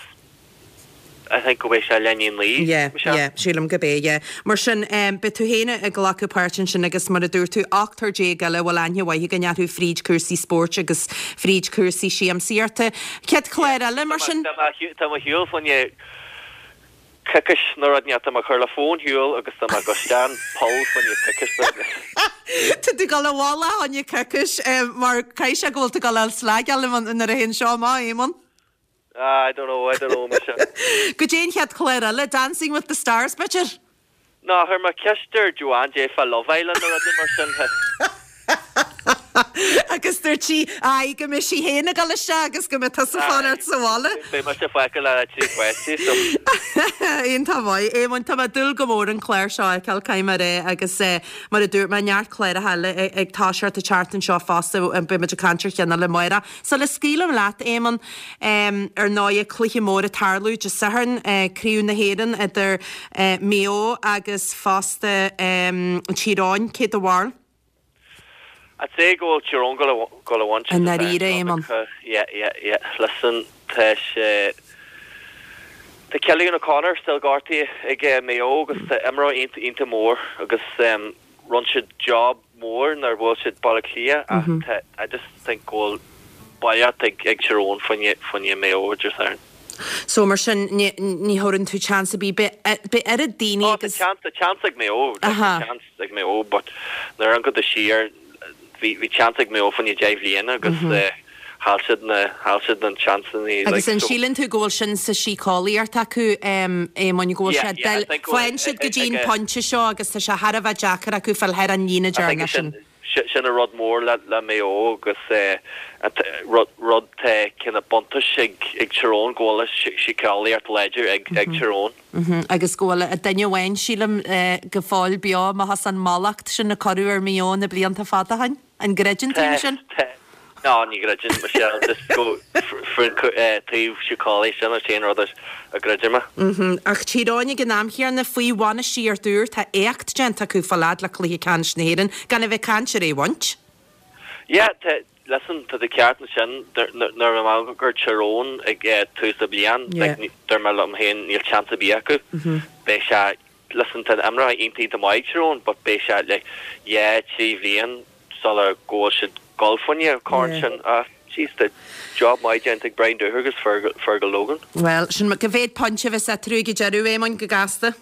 I think go mbeidh sé leath i ndiaidh 9, Yeah, Michelle. yeah, sílim gurb é, yeah. Mar sin, beidh tú féin ag glacadh páirt ansin agus mar a dúirt tú, ochtar déag eile a bhfuil aithne mhaith againn orthu fríd cúrsaí spóirt agus fríd cúrsaí siamsaíochta. Chéad chlár eile, mar sin? Tá mé ar shiúl fá choinne coicís nó rud inteacht, tá mé ag cur le fón shiúl agus tá mé ag dul isteach an poll fá choinne coicís nó rud. Tá tú ag dul i bhfolach fá choinne coicís, mar caithfidh sé go bhfuil tú ag dul a fháil slagáil nuair a théann seo amach, Éamonn. Ah, I don't know, I don't know, Michelle. Goidé an chéad chlár eile, Dancing with the Stars, b'fhéidir? No, chuir mé ceist ar Joanne goidé fá Love Island nó rud mar sin. Agus dúirt sí, aye, go mbeidh sí féin ag dul isteach agus go mbeidh tusa fanacht sa bhaile. Beidh mise fágtha le trí pháistí, so. Iontach maith. Éamonn, tá mé ag dúil go mór an clár seo a fheiceáil, caithfidh mé a rá, agus mar a dúirt mé, neart cláracha eile ag toiseacht an tseachtain seo fosta, beidh muid ag caint ar cheann eile amárach. Sula scaoilim leat, Éamonn, ar ndóighe, cluiche mór ag tarlú Dé Sathairn, Craobh na hÉireann idir Maigh Eo agus fosta Tír Eoghain. Cé do bharúil? I'd say go bhfuil Tír Eoghain gabháil a bhaint I ndáiríre, Éamonn? Yeah, yeah, yeah. Listen, tá sé, tá Cillian O'Connor still gortaithe ag Maigh Eo agus tá imreoir iontach, iontach mór agus rinne siad job mór nuair a bhuail siad Baile Átha Cliath ach tá I just think go bhfuil bailíocht ag ag Tír Eoghain fá choinne fá choinne Maigh Eo Dé Sathairn. So mar sin ní ní thabhrann tú chance ar bith beidh beidh oiread daoine Oh tá agus chance tá chance ag Maigh Eo like tá Aha. chance ag Maigh Eo but nuair a amharcann tú siar bhí bhí chance ag Maigh Eo fá choinne 10 bhliana agus eh chaill siad na chaill siad na chanceanna like Agus an so síleann tú go bhfuil sin sa síceolaíocht acu Éamoinn go bhfuil Yeah sé yeah I think go faigheann siad go dtí an pointe seo agus tá sé thar a bheith deacair acu fáil thar an líne I think deireanach sin. sin an rud mór le le Maigh Eo agus eh rud rud tá cineál buntáiste ag ag Tír Eoghain go bhfuil síceolaíocht láidir ag ag Tír Eoghain. Agus go bhfuil duine amháin sílim go fóill beo amach as an mallacht sin a cuireadh ar Mhaigh Eo na blianta fada ó shin. An gcreideann tú sin? Tá. No, ní chreidim, Michelle, just go faoin taobh síceolaí sin an t-aon rud a gcreidim mé. Ach Tír Eoghain ag an am chéanna, faoi bhainistíocht úr, tá éacht déanta acu fáil fhad le cluiche ceannais na hÉireann, gan a bheith ag caint ar é a bhaint. Yeah, tá, listen, tá tú ceart ansin, nuair a bhí mé ag amharc ar Tír Eoghain ag tús na bliana, like, dúirt mé liom féin níl chance ar bith acu. Beidh sé Listen, tá imreoirí iontach iontach maith ag Tír Eoghain but beidh sé like dhá, trí bhliain sula go bhfuil siad dul fá choinne an corn sin. Ah, jeez, tá job maith déanta ag Brian Dooher agus Fergal Logan. Bhuel, sin cá mhéad pointe a bheas eatarthu ag an deireadh, Éamoinn, go gasta?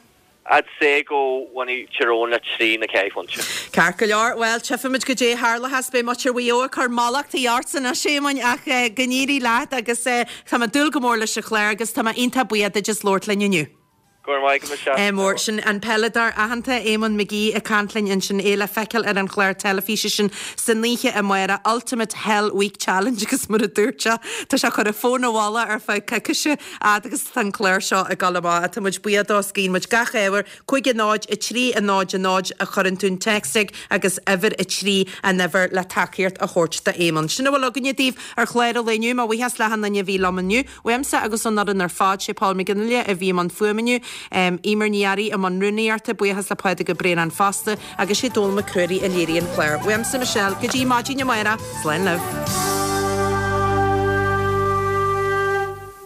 I'd say go bhfanfaidh Tír Eoghain le trí nó ceathair phointe. Ceart go leor, bhuel, tchífimid goidé a tharlóchas. Beidh muintir Mhaigh Eo ag cur mallachtaí ort anois, Éamoinn, ach go n-éirí leat agus tá mé ag dúil go mór leis an chlár agus tá mé iontach buíoch duit as labhairt linn inniu. Go raibh maith agat, Michelle. Ádh mór. Sin an peileadóir aitheanta Éamonn McGee ag caint linn ansin, é le feiceáil ar an chlár teilifíse sin san oíche amárach, Ultimate Hell Week Challenge agus mar a dúirt sé, tá sé ag cur a fón i bhfolach ar feadh coicíse fhad agus atá an clár seo ag dul amach. Tá muid buíoch dó is guíonn muid gach ádh air. 5 0 3 0 0 a chuireann tú an téacs ag agus uimhir 3 an uimhir le tacaíocht a thabhairt d'Éamonn. Sin a bhfuil againne daoibh ar chlár an lae inniu. Mo bhuíochas le achan duine a bhí liom inniu. Uaimse agus ón fhoireann ar fad, sé Paul McGinley a bhí i mbun fuaime inniu, Eimear Ní Fhearraigh i mbun rúnaíochta, buíochas le Pádraig Ó Braonáin fosta, agus sé Dónall Mac Ruairí a léirigh an clár. Uaimse, Michelle, go dtí maidin amárach, slán libh.